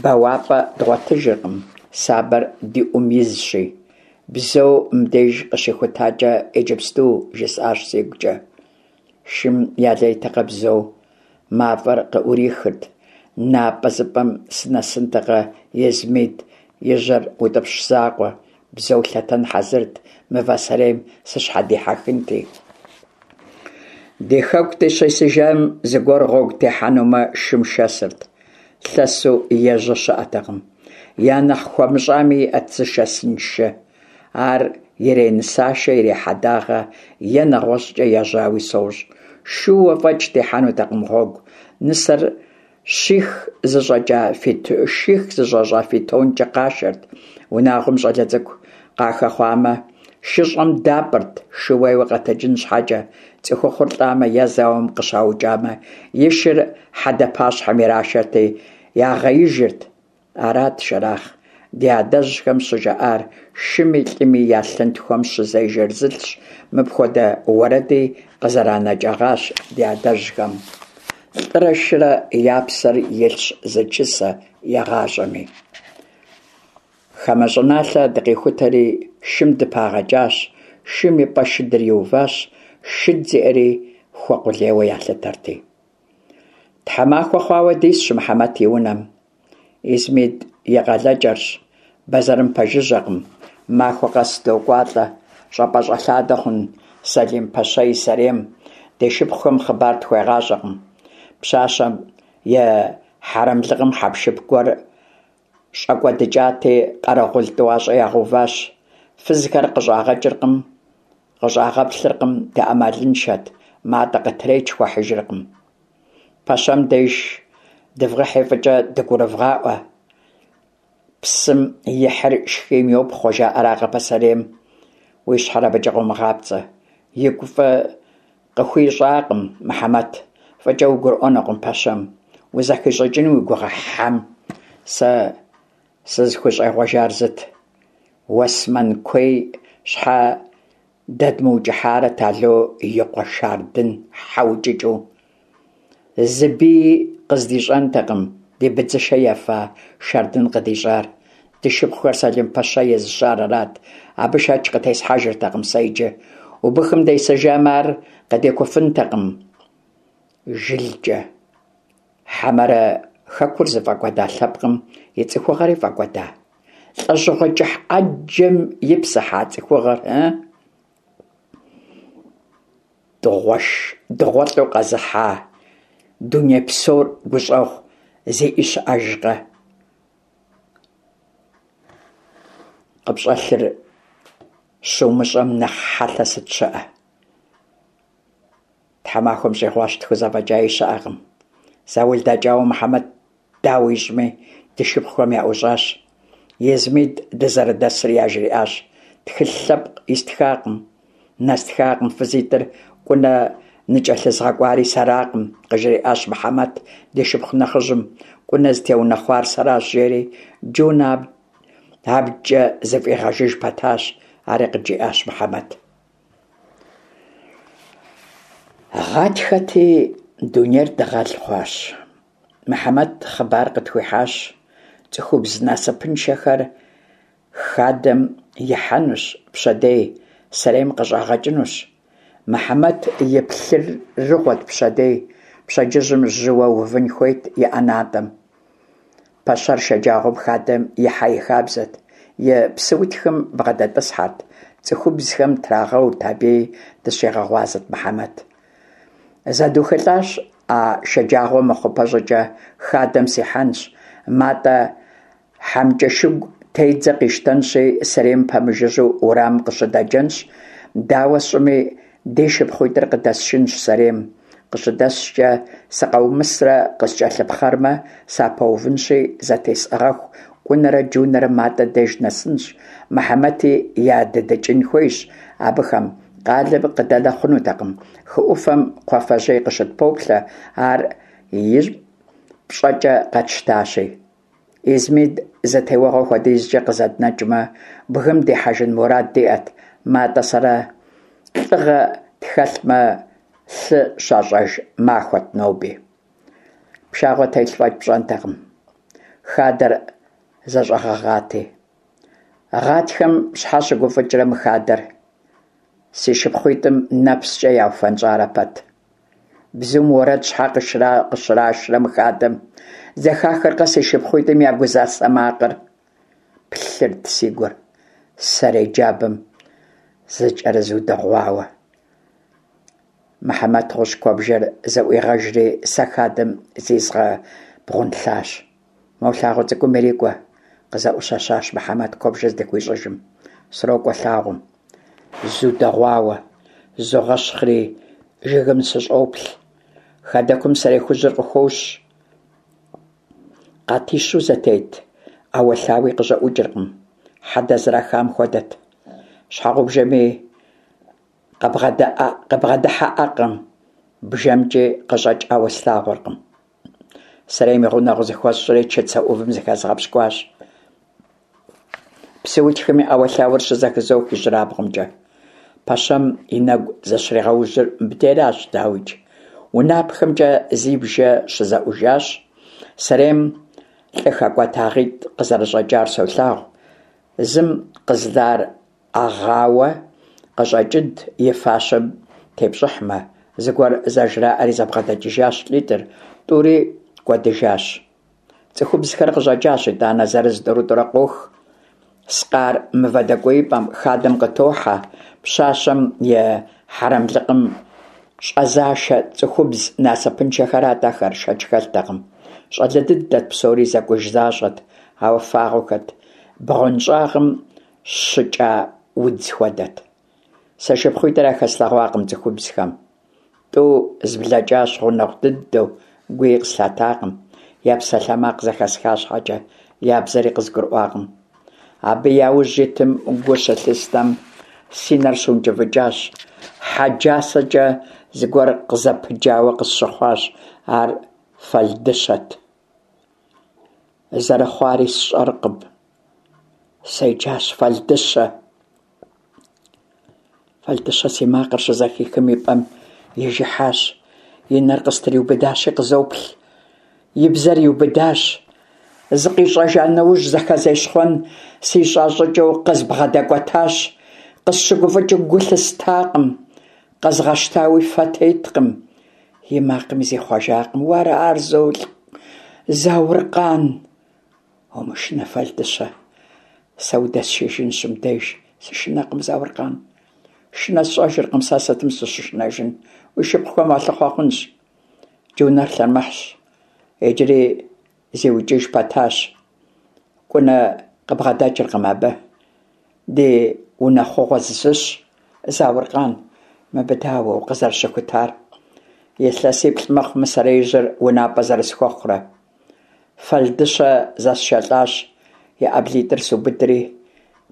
Бэуапӏэ дгъуэтыжыркъым, сабэр ди ӏум изщи. Бзэу мыбдеж къыщихутакӏэ иджыпсту, жысӏащ сигукӏэ. Шым ялейтэкъэ бзэу, мафӏэр къыӏурихырт. Напӏэзыпӏэм сынэсынтэкъэ, Езмид и жьэр утӏыпщ закъуэ, бзэу лъэтэн хьэзырт, мывэ сэрейм сыщхьэдихьэхынти. Ди хэку дыщисыжам зыгуэр гъуэгу техьэнумэ, шым шэсырт. Лъэсу ежьэ щыӏэтэкъым. Я нэхъ хуэмыщӏами иӏэт зышэсын шы. Ар иренысашэ, ирехьэдагъэ е нэгъуэщӏкӏэ ежьауи сощӏ. Шууэ фӏэкӏ техьэнутэкъым гъуэгу. Нысэр щих зыщӏэкӏа ших зыщӏэщӏа фитонкӏэ къашэрт. Унагъуэм щӏалэ цӏыкӏу къахэхъуамэ, шыщӏэм дапӏырт шууейуэ къэтэджын щхьэкӏэ. Цӏыхухъур лӏамэ е зауэм къыщаукӏамэ, и шыр хьэдэ пащхьэм ирашэрти, ягъеижырт. Арат, Шэрахъ, ди адэжьхэм щыжаӏар, шыми лӏыми я лъынтхуэм щызежэр зылӏщ, мыпхуэдэ уэрэди къызэранэкӏыгъащ ди адэжьхэм. Лӏырэ шырэ я псэр илъщ зы чысэ игъащӏэми. Хамэ щӏыналъэ дыкъихутэри, шым дыпагъэкӏащ, шым и пӏэ шыдыр иуващ, шыд зиӏэри хуэкъулейуэ ялъытэрти. Тхьэмахуэ хъуауэ дисщ Мыхьэмэт и унэм. Измит и къалэкӏэрщ, бэзэрым пэжыжьэкъым. Махуэ къэс докӏуалӏэ, щӏапӏэщӏэлъадэ хъун Сэлим пэщэ и сэрейм. Ди шыпхъухэм хъыбар тхуегъащӏэкъым. Пщащэм и хьэрэмлыкъым хьэпшып гуэр Щӏэкӏуэдыкӏати, къэрэгъул тӏуащӏэ ягъэуващ. Фызхэр къыщӏагъэкӏыркъым, къыщӏагъэплъыркъым, дыӏэмалыншэт, Матӏэ къытреч хуэхьыжыркъым. Пэщэм деж дывгъэхьи фӏыкӏэ дыгурывгъаӏуэ. Псым ихьыр шхийм йопхъуэ, жаӏэракъэ пасэрейм. Уи щхьэр абыкӏэ къыумыгъапцӏэ. Игу фӏы Къыхуищӏакъым Мыхьэмэт, фӏыкӏэ угурыӏуэнукъым пэщэм, узэхищӏыкӏыну уи гугъэ хьэм. Сэ сызыхущӏегъуэжар зыт, Уэсмэн куей щхьэ дэдмыукӏыхьарэт Ало и къуэ Шардын хьэ укӏыкӏэу. Зы бии къыздищӏэнтэкъым ди быдзышэ ефа Шардын къыдищӏар. Ди шыпхъухэр Сэлим пэщэ езыщар арат. Абы шэч къытесхьэжыртэкъым сэ иджы. Убыхым десыжамэ, ар къыдекуфынтэкъым жылкӏэ. Хьэмэрэ хэкур зыфӏэкӏуэда лъэпкъым и цӏыхугъэри фӏэкӏуэда? Лӏэщӏыгъуэ кӏыхь ӏэджэм ипсыхьа цӏыхугъэр, ы? Дыгъуэш, дыгъуэлӏу къэзыхьа. Дуней псор гущӏэгъу зиӏи щыӏэжкъэ? Къыпщӏэлъыр щумыщӏэм нэхъ хьэлъэ сыт щыӏэ? Тхьэмахуэм щӏигъуащ, тхузэфӏэкӏаи щыӏэкъым. Заул дэкӏауэ Мыхьэмэт дауэ ищӏми, ди шыпхъухэм яӏущӏащ. Измид дызэрыдэсыр яжриӏащ. Тхылъ лъэпкъ истхакъым, нэстхакъым, фызитӏыр Кӏунэ ныкӏэлъызгъэкӏуари сэракъым, къыжриӏащ Мыхьэмэт ди шыпхъу нэхъыжьым. Кӏунэ зытеунэхъуар сэращ, жери Джунэ абджкӏэ зыфӏигъэжыж пэтащ, ари къыджиӏащ Мыхьэмэт. Гъатхэти, дунейр дыгъэл хъуащ. Мыхьэмэт хъыбар къытхуихьащ, цӏыхубз насыпыншэхэр хадэм ихьэнущ пщэдей, сэрейм къыщӏагъэкӏынущ. Мыхьэмэт и плъырыгъуэт пщэдей, пщэдджыжьым жьыуэ увын хуейт и ӏэнатӏэм. Пэщэр шэджагъуэм хадэм ихьэ и хабзэт, и псыутхым бгъэдэтӏысхьэрт, цӏыхубзхэм трагъэурт абыи, дыщигъэгъуазэт Мыхьэмэт. Зэдухылӏащ а шэджагъуэ мыхъупэ щӏыкӏэ хадэм сихьэнщ, Матӏэ хьэмкӏэшыгу тедзэ къищтэнщи, сэрейм пэмыжыжьэу уэрамым къыщыдэджэнщ, дауэ сщӏыми, ди шыпхъуитӏыр къыдэсшынщ сэрейм. Къыщыдэсшкӏэ, сыкъаумысрэ къыскӏэлъыпхъэрмэ, сапэувынщи, зэтесӏыгъэху, Кӏунэрэ Джунэрэ Матӏэ деж нэсынщ, Мыхьэмэти ядыдэкӏын хуейщ абыхэм, къалэм къыдэнэ хъунутэкъым, хы ӏуфэм кхъуафэжьей къыщытпоплъэ, ар и пщӏэкӏэ къэтщтащи. Измид зы теуэгъуэ хуэдизкӏэ къызэднэкӏмэ, бгым дихьэжын мурад диӏэт, Матӏэ сэрэ лӏыгъэ тхэлъмэ, лъы щащӏэж махуэт ноби. Пшагъуэ телъ фӏэкӏ пщӏэнтэкъым, хадэр зэщӏэгъэгъати. Гъатхэм щхьэ щыгуфӏыкӏрэ мы хадэр? Си шыпхъуитӏым нэпскӏэ яуфэнщӏарэ пэт. Бзум уэрэд щхьэ къыщрашрэ мы хадэм? Зэхахыркъэ си шыпхъуитӏым я гузасэ макъыр? Плъырт си гур, сэрей джабэм зыкӏэрызудыгъуауэ. Мыхьэмэт гъущӏ куэбжэр зэӏуигъэжри, сэ хадэм зизгъэбгъунлъащ. Мо лъагъуэ цӏыкӏум ирикӏуэ, къызэӏущэщащ Мыхьэмэт куэбжэр здыхуищӏыжым. Срокӏуэ лъагъуэм. Зудэгъуауэ, зогъэщхъри, жыгым сыщӏоплъ. Хадэкум сэрей хужьыр къыхощ. Къатищу зэтет, ӏэуэлъауи къыщӏэӏукӏыркъым. Хьэдэ зэрахам хуэдэт. Щхьэгъубжэми къыбгъэдыхьэӏэкъым, бжэмкӏи къыщӏэкӏауэ слъагъуркъым. Сэрейм и гъунэгъу зыхуэсщӏри чыцэ ӏувым зыхэзгъэпщкӏуащ. Псыутхым и ӏэуэлъауэр щызэхызох ижьырабгъумкӏэ. Пэщэм и нэгу зыщригъэужьыр мыбдеращ, дауикӏ. Унапхэмкӏэ зи бжэ щызэӏужащ. Сэрейм лӏы хэкӏуэтагъитӏ къызэрыщӏэкӏар солъагъу. Зым къызлар ӏэгъауэ къыщӏэкӏынт и фащэм тепщӏыхьмэ, зыгуэр зэжраӏэри зэбгъэдэкӏыжащ лӏитӏыр, тӏури кӏуэдыжащ. Цӏыхубзхэр къыщӏэкӏащ итӏанэ зырыз-тӏурытӏурэ къох. Скъар мывэ дэкӏуеипӏэм хадэм къытохьэ, пщащэм и хьэрэмлыкъым щӏэзашэ цӏыхубз насыпыншэхэрат ахэр, шэч хэлътэкъым. Щӏалэ дыдэт псори зэкӏуж защӏэт, ауэ фагъуэхэт, бгъуэнщӏагъым щыкӏа удз хуэдэт. Сэ шыпхъуитӏыр яхэслъэгъуакъым цӏыхубзхэм. Тӏу зблэкӏащ гъунэгъу дыдэу, гуи къыслъатакъым, я псалъэмакъ зэхэсха щхьэкӏэ, я бзэри къызгурыӏуакъым. Абы я ужь итым гу щылъыстэм, си нэр щункӏыфӏыкӏащ, хьэджасэкӏэ зыгуэр къызэпыджауэ къысщыхъуащ, ар фэлдыщэт. Зэрыхъуари сщӏэркъым. Седжащ Фэлдыщэ. Фэлдыщэ си макъыр щызэхихым и пӏэм ижыхьащ. И нэр къыстриубыдащи къызоплъ. И бзэр иубыдащ. Зыкъищӏэжа нэужь зэхэзещхъуэн сищӏа щӏыкӏэу къызбгъэдэкӏуэтащ. Къысщыгуфӏыкӏыу гу лъыстакъым. Къэзгъэщтауи фэ теткъым. И макъми зихъуэжакъым. Уэра ар, Зауркъан? Умышынэ, Фэлдыщэ, сэ удэсшыжынщ мыбдеж. Сышынэкъым, Зауркъан. Шынэ сщӏэжыркъым, сэ сытым сыщышынэжын? Уи шыпхъухэм уалъыхъуэ хъунщ. Иджы унэр лъэрымыхьщ, иджыри зиукӏыж пэтащ. Кӏунэ къыбгъэдэкӏыркъым абы. Ди унэхъугъуэ зыщ, Зауркъан, мыбы дауэ укъызэрыщыхутар? Илъэсиплӏ мэхъу мы сэреижьыр унапӏэ зэрысхуэхъурэ. Фэлдыщэ зэсшэлӏащ, и ӏэблитӏыр субыдри,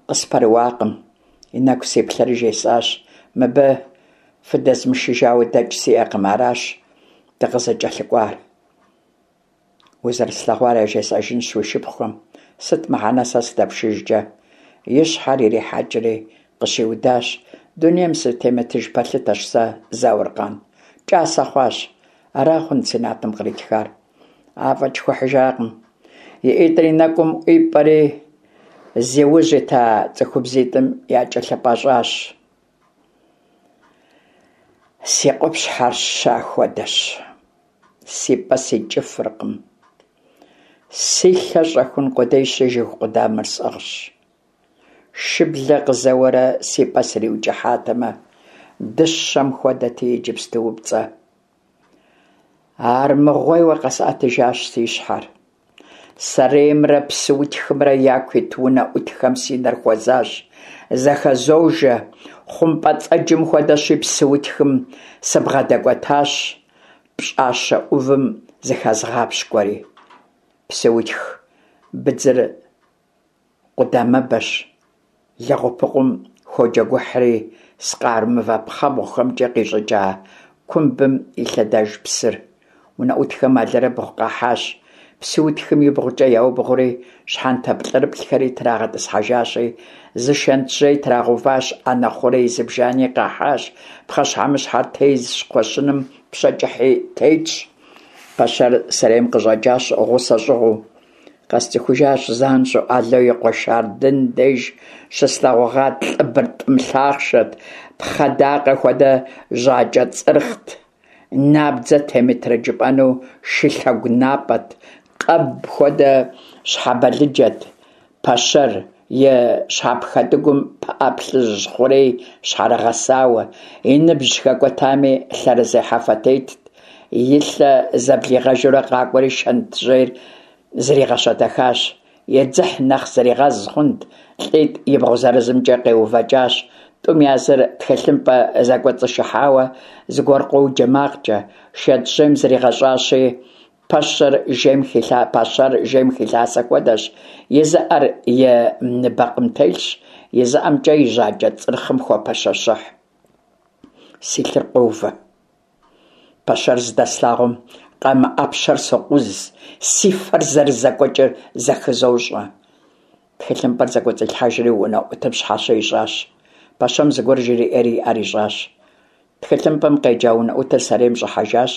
къыспэрыуакъым. И нэгу сиплъэри жесӏащ, мыбы фыдэзмышыжауэ дэкӏ сиӏэкъым, аращ дыкъызыкӏэлъыкӏуар. Узэрыслъэгъуар яжесӏэжынщ уи шыпхъухэм, сыт мыхьэнэ сэ сыдэпшыжкӏэ? И щхьэр ирихьэкӏри къыщиудащ, дунейм сытемытыж пэлъытэщ сэ, Зауркъан. Кӏасэ хъуащ. Ара хъунт си натӏэм къритхар. Афӏэкӏ хуэхьыжакъым. И ӏитӏыр и нэкӏум ӏуипӏэри, зи ужь ита цӏыхубзитӏым якӏэлъыпӏэщӏащ. Си къупщхьэр ща хуэдэщ. Си пӏэ сикӏыфыркъым. Си лъэ щӏэхун къудейщи, жыг къудамэр сӏыгъщ. Шыблэ къызэуэрэ си пӏэ сриукӏыхьатэмэ, дыщэм хуэдэти иджыпстуупцӏэ. Армыгъуейуэ къэсӏэтыжащ си щхьэр. Сэреймрэ псыутхымрэ яку ит унэӏутхэм си нэр хуэзащ. Зэхэзожэ, хъумпӏэцӏэджым хуэдэщи, псыутхым сыбгъэдэкӏуэтащ, пщӏащэ ӏувым зыхэзгъапщкӏуэри. Псыутх быдзыр къудамэбэщ, лэгъупыкъум ходжэгухьри, скъар мывэ пхъэбгъухэмкӏэ къищӏыкӏа кумбым илъэдэж псыр. Унэӏутхэм алэрыбгъу къахьащ, псыутхым ибгъукӏэ яубгъури, щхьэнтэ плӏырыплӏхэри трагъэтӏысхьэжащи, зы шэнтжьей трагъэуващ, ӏэнэ хъурей зыбжани къахьащ, пхъэщхьэмыщхьэр тезщ, кхъуэщыным пщэ кӏыхьи тетщ. Пэщэр сэрейм къыщӏэкӏащ гъусэ щӏыгъуу. Къэсцӏыхужащ занщӏэу Ало и къуэ Шардын деж щыслъэгъугъат лӏы быртӏым лъахъшэт, пхъэ дакъэ хуэдэ жьакӏэ цӏырхът, набдзэ темытрэ жыпӏэну шылъэгу напӏэт, къэб хуэдэ щхьэбалыджэт. Пэщэр и щхьэпхэтӏыгум пыӏэ плъыжь хъурей щхьэрыгъэсауэ, и ныбжь хэкӏуэтами лъэрызехьэфэ тетт. И лъэ зэблигъэжурэ къакӏуэри шэнтжьейр зригъэщэтэхащ. И дзыхь нэхъ зригъэз хъунт, лӏитӏ ибгъу зырызымкӏэ къеувэкӏащ. Тӏум я зыр тхылъымпӏэ зэкӏуэцӏышыхьауэ зыгуэр къоджэ макъкӏэ, шэнтжьейм зригъэщӏащи, Пэщэр жейм хилъа, пэщэр жейм хилъасэ хуэдэщ, и зы ӏэр и ныбэкъым телъщ, и зы ӏэмкӏэ и жьакӏэ цӏырхъым хопэщэщыхь. Си лъыр къовэ. Пэщэр здэслъагъум, къамэ ӏэпщэр сокъуз, си фэр зэрызэкӏуэкӏыр зэхызощӏэ. Тхылъымпӏэр зэкӏуэцӏилъхьэжри унэӏутым щхьэщэ ищӏащ. Пэщэм зыгуэр жриӏэри и ӏэр ищӏащ. Тхылъымпӏэм къеджа унэӏутыр сэрейм щӏыхьэжащ,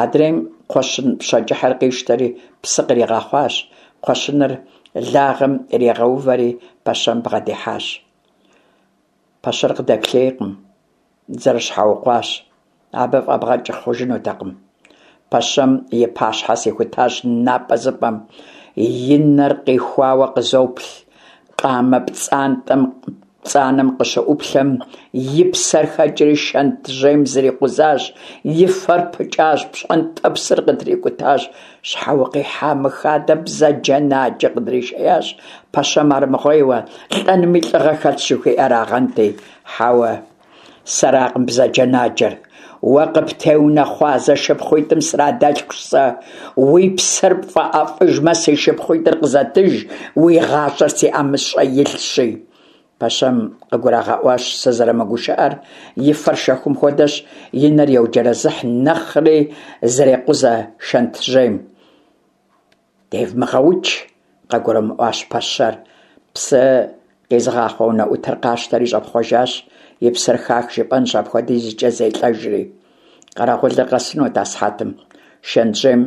адрейм кхъуэщын пщэ кӏыхьыр къищтэри псы къригъэхъуащ, кхъуэщыныр лагъэм иригъэувэри пэщэм бгъэдихьащ. Пэщэр къыдэплъейкъым, зэрыщхьэукъуащ, абы фӏэбгъэкӏ хъужынутэкъым. Пэщэм и пащхьэ сихутащ напӏэзыпӏэм, и нэр къихуауэ къызоплъ, къамэ пцӏантӏэм пцӏанэм къыщыӏуплъэм, и псэр хэкӏри шэнтжьейм зрикъузащ, и фэр пыкӏащ, пщӏэнтӏэпсыр къытрикӏутащ. Щхьэ укъихьа мы хадэм бзаджэнаджэ къыдришеящ, пэщэм армыгъуейуэ, лӏэнми лӏыгъэ хэлъщ жыхуиӏэрагъэнти. Хьэуэ, сэракъым бзаджэнаджэр. Уэ къыптеунэхъуа зэшыпхъуитӏым срадэлъхущ сэ. Уи псэр пфӏэӏэфӏыжмэ, си шыпхъуитӏыр къызэтыж, уи гъащӏэр си ӏэмыщӏэ илъщи. Пэщэм къыгурагъэӏуащ сызэрымыгушыӏэр, и фэр шэхум хуэдэщ, и нэр еуджэрэзыхь, нэхъри зрекъузэ шэнтжьейм. Девмыгъэукӏ, къыгурымыӏуащ пэщэр. Псы къизыгъахъуэ унэӏутыр къащтэри щӏэпхъуэжащ, и псэр хах жыпӏэнщ апхуэдизкӏэ зелӏэжри. Къэрэгъулыр къэсынут асыхьэтым. Шэнтжьейм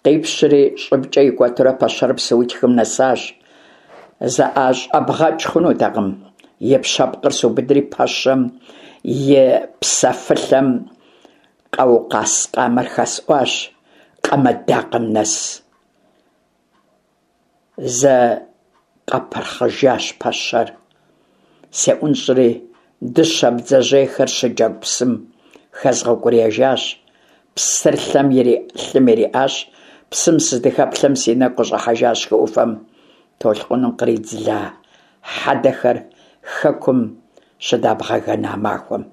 къипщри, щӏыбкӏэ икӏуэтурэ пэщэр псыутхым нэсащ. Зыӏэщӏэбгъэкӏ хъунутэкъым. И пщэпкъыр субыдри пэщэм и псэфылъэм къаукъаз къамэр хэсӏуащ къамэдакъэм нэс. Зэ къэпырхъыжащ пэщэр. Сеӏунщӏри, дыщэ бдзэжьейхэр щыджэгу псым хэзгъэукӏуриежащ. Псыр лъэм лъым ириӏащ. Псым сыздыхэплъэм си нэгу къыщӏыхьэжащ хы ӏуфэм толъкъуным къридзыла хьэдэхэр хэкум щыдабгъэгэна махуэм.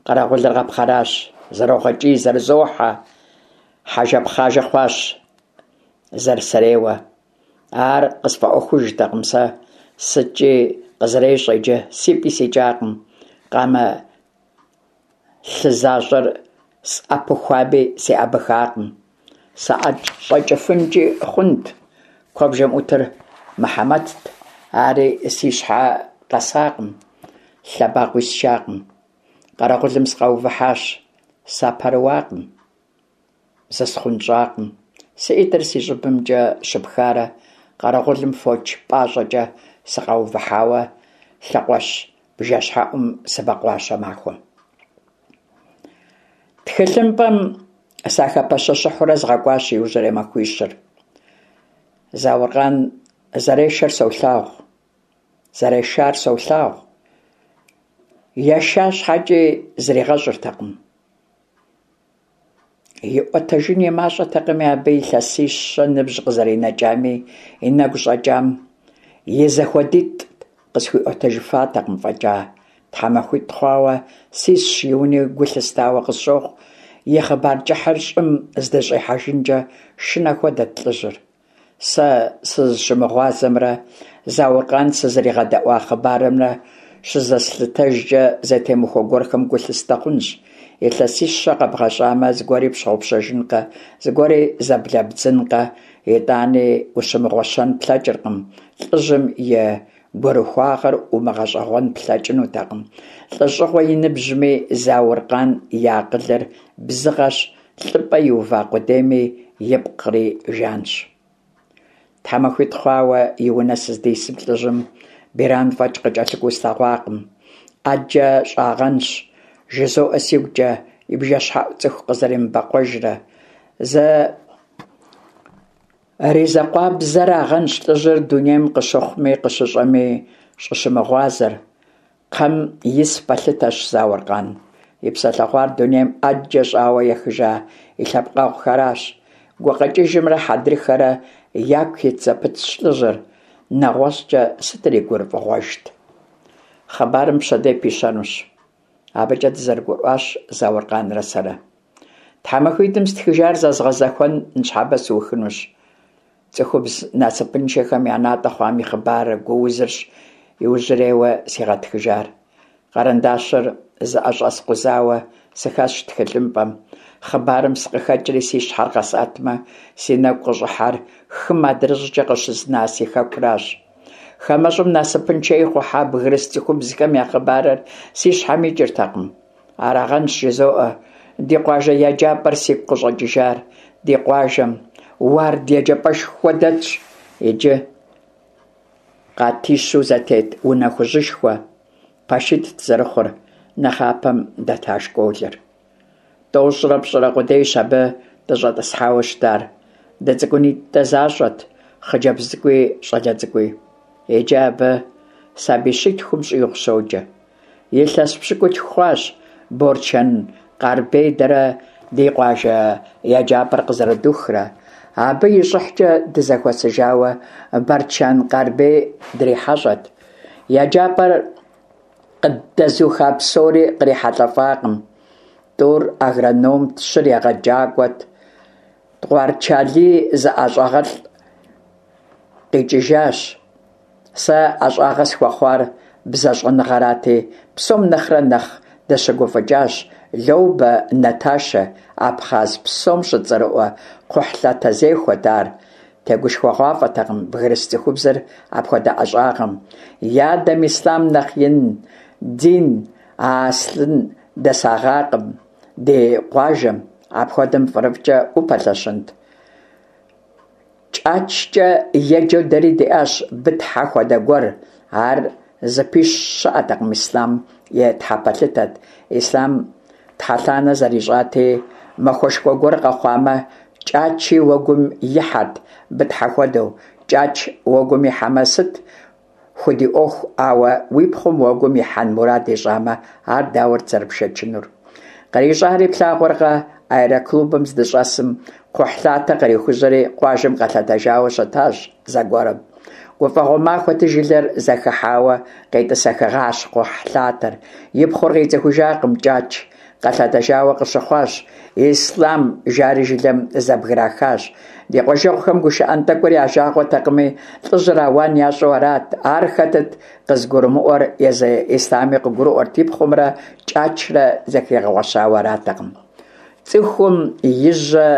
Къэрэгъулыр къэпхъэращ, зэрогъэкӏий, зэрызохьэ, хьэжэпхъажэ хъуащ зэрысэрейуэ. Ар къысфӏэӏуэхужтэкъым сэ, сыткӏи къызэрещӏэ иджы, си пӏи сикӏакъым, къамэ лъы защӏэр сӏэпыхуами, сеӏэбыхакъым. Саӏэщӏэкӏыфынкӏи хъунт, куэбжэм ӏутыр Мыхьэмэтт, ари си щхьэ къэсакъым, лъэбакъуи счакъым. Къэрэгъулым сыкъаувыхьащ, сапэрыуакъым, зысхъунщӏакъым. Си ӏитӏыр си щӏыбымкӏэ щыпхарэ къэрэгъулым фоч пӏащӏэкӏэ сыкъаувыхьауэ лъэкъуэщ бжэщхьэӏум сыбэкъуащ а махуэм. Тхылъымпӏэм сахэпэщэщыхьурэ згъэкӏуащ иужьрей махуищыр. Зауркъан зэрешэр солъагъу, зэрешар солъагъу. Еша щхьэкӏи зригъэщӏыртэкъым. Иӏуэтэжын и мащӏэтэкъыми, абы илъэсищэ ныбжь къызэринэкӏами, и нэгу щӏэкӏам и зэхуэдитӏ къысхуиӏуэтэжыфатэкъым фӏэкӏа. Тхьэмахуитӏ хъуауэ сисщ и уни гу лъыстауэ къысщохъу, и хъыбар кӏыхьыр щӏым здыщӏихьэжынкӏэ шынэ хуэдэт лӏыжьыр. Сэ сызыщымыгъуазэмрэ Зауркъан сызэригъэдэӏуа хъыбарымрэ щызэслъытэжкӏэ зэтемыхуэ гуэрхэм гу лъыстэ хъунщ. Илъэсищэ къэбгъэщӏамэ, зыгуэри пщыгъупщэжынкъэ, зыгуэри зэблэбдзынкъэ, итӏани ущымыгъуэщэн плъэкӏыркъым, лӏыжьым и гурыхуагъэр умыгъэщӏэгъуэн плъэкӏынутэкъым. Лӏыщӏыгъуэ и ныбжьми, Зауркъан и акъылыр бзыгъэщ, лӏыпӏэ иува къудейми, ипкъри жанщ. Тхьэмахуитӏ хъуауэ и унэ сыздисым лӏыжьым Биран фӏэкӏ къыкӏэлъыкӏуэу слъэгъуакъым. ӏэджэ щӏагъэнщ, жызоӏэ сигукӏэ, и бжэщхьэӏу цӏыху къызэремыбэкъуэжрэ. Зэризакъуабзэрагъэнщ лӏыжьыр дунейм къыщыхъуми къыщыщӏэми щӏыщымыгъуазэр. Кхъэм ис пэлъытэщ Зауркъан. И псэлъэгъуар дунейм ӏэджэ щӏауэ ехыжа и лъэпкъэгъухэращ. Гукъэкӏыжымрэ хьэдрыхэрэ яку ит зэпытщ лӏыжьыр, нэгъуэщӏкӏэ сытыр и гурыфӏыгъуэжт? Хъыбарым пщэдей пищэнущ. Абыкӏэ дызэрыгурыӏуащ Зауркъанрэ сэрэ. Тхьэмахуитӏым стхыжар зэзгъэзэхуэн ныщхьэбэ сыухынущ. Цӏыхубз насыпыншэхэм я натӏэ хъуам и хъыбар гуузырщ иужьрейуэ сигъэтхыжар. Къэрэндащыр зыӏэщӏэскъузауэ сыхэсщ тхылъымпӏэм. Хъыбарым сыкъыхэкӏри си щхьэр къэсӏэтмэ, си нэгу къыщӏыхьэр хым адрыщӏкӏэ къыщызна си хэкуращ. Хамэщӏым насыпыншэ ихъухьа бгырыс цӏыхубзхэм я хъыбарыр си щхьэм икӏыртэкъым. Арагъэнщ, жызоӏэ, ди къуажэ еджапӏэр сигу къыщӏэкӏыжар. Ди къуажэм Уард еджапӏэшхуэ дэтщ иджы. Къатищу зэтет унэ хужьышхуэ, пэшитӏт зэрыхъур нэхъапэм дэта школыр. Тӏощӏрэ пщӏырэ къудейщ абы дыщӏэтӏысхьауэ щытар. Дыцӏыкӏунитӏэ защӏэт, хъыджэбз цӏыкӏуи щӏалэ цӏыкӏуи. Иджы абы сабий щитхум щӏигъу щоджэ. Илъэс пщыкӏутху хъуащ Борчэн Къарбей дэрэ ди къуажэ еджапӏэр къызэрыдухрэ. Абы и щӏыхькӏэ дызэхуэсыжауэ Бэрчэн Къарбей дрихьэщӏэт. Еджапӏэр къыддэзуха псори кърихьэлӏэфакъым. Тӏур агрономт, щыр егъэджакӏуэт. Тӏуарчалий зы ӏэщӏагъэлӏ къикӏыжащ. Сэ ӏэщӏагъэ схуэхъуар бзэщӏэныгъэрати, псом нэхърэ нэхъ дыщыгуфӏыкӏащ Лоубэ Наташэ, Абхъаз псом щыцӏэрыӏуэ кхъухьлъатэзехуэт ар. Тегушхуэгъуафӏэтэкъым бгырыс цӏыхубзыр апхуэдэ ӏэщӏагъэм. И адэм Ислъам нэхъ ин дин аслъын дэсагъакъым ди къуажэм, апхуэдэм фӏырыфӏкӏэ упэлъэщынт. Кӏачкӏэ еджэу дэри диӏащ Бытхьэ хуэдэ гуэр. Ар зыпищӏ щыӏэтэкъым Ислъам и тхьэпэлъытэт. Ислъам тхьэлъанэ зэрищӏати, махуэшхуэ гуэр къэхъуамэ, Кӏачи уэгум ихьэрт Бытхьэ хуэдэу. Кӏач уэгум ихьэмэ, сыт худиӏуэху, ауэ уи пхъум уэгум ихьэн мурад ищӏамэ, ар дауэт зэрыпшэчынур? Кърищӏари плъагъуркъэ? Аэроклубым здыщӏэсым, кхъухьлъатэ кърихужьэри къуажэм къэлъэтэжауэ щытащ зэгуэрым. Гуфӏэгъуэ махуэти, жылэр зэхыхьауэ къетӏысэхыгъащ кхъухьлъатэр. И пхъур къицӏыхужакъым Кӏач, къэлъэтэжауэ къыщыхъуащ. Ислъам жари жылэм зэбграхащ. Ди къуажэгъухэм гушыӏэн тӏэкӏур я жагъуэтэкъыми, лӏыжьыр ауан ящӏу арат. Ар хэтыт къызыгурымыӏуэр, езы Ислъами къыгурыӏуэрт, и пхъумрэ Кӏачрэ зэхигъэгъуэщауэ аратэкъым. Цӏыхум и жьэ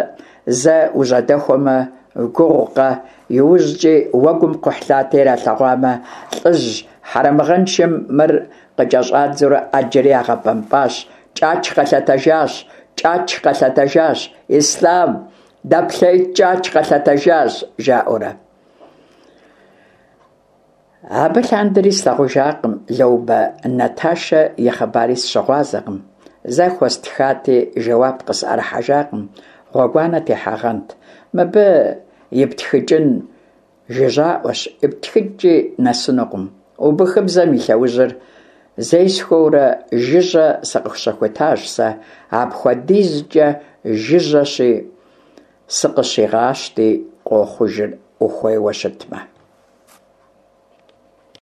зэ ужьэдэхуэмэ, гугъукъэ, иужькӏи уэгум кхъухьлъатэ иралъэгъуамэ, лӏыжь хьэрэмыгъэншэм мыр къыкӏэщӏадзэурэ ӏэджэри ягъэбэмпӏащ, Кӏач къэлъэтэжащ, Кӏач къэлъэтэжащ, Ислъам, дэплъейт, Кӏач къэлъэтэжащ, жаӏэурэ. Абы лъандэри слъагъужакъым, Лоубэ Наташэ и хъыбари сыщыгъуазэкъым. Зэ хуэстхати, жэуап къысӏэрыхьэжакъым, гъуэгуанэ техьагъэнт. Мыбы иптхыкӏын жыжьаӏуэщ, иптхыкӏкӏи нэсынукъым. Убыхыбзэм и лъэужьыр зесхуэурэ жыжьэ сыкъыщыхутащ сэ, апхуэдизкӏэ жыжьэщи, сыкъыщигъащти къохъужыр ухуейуэ щытмэ.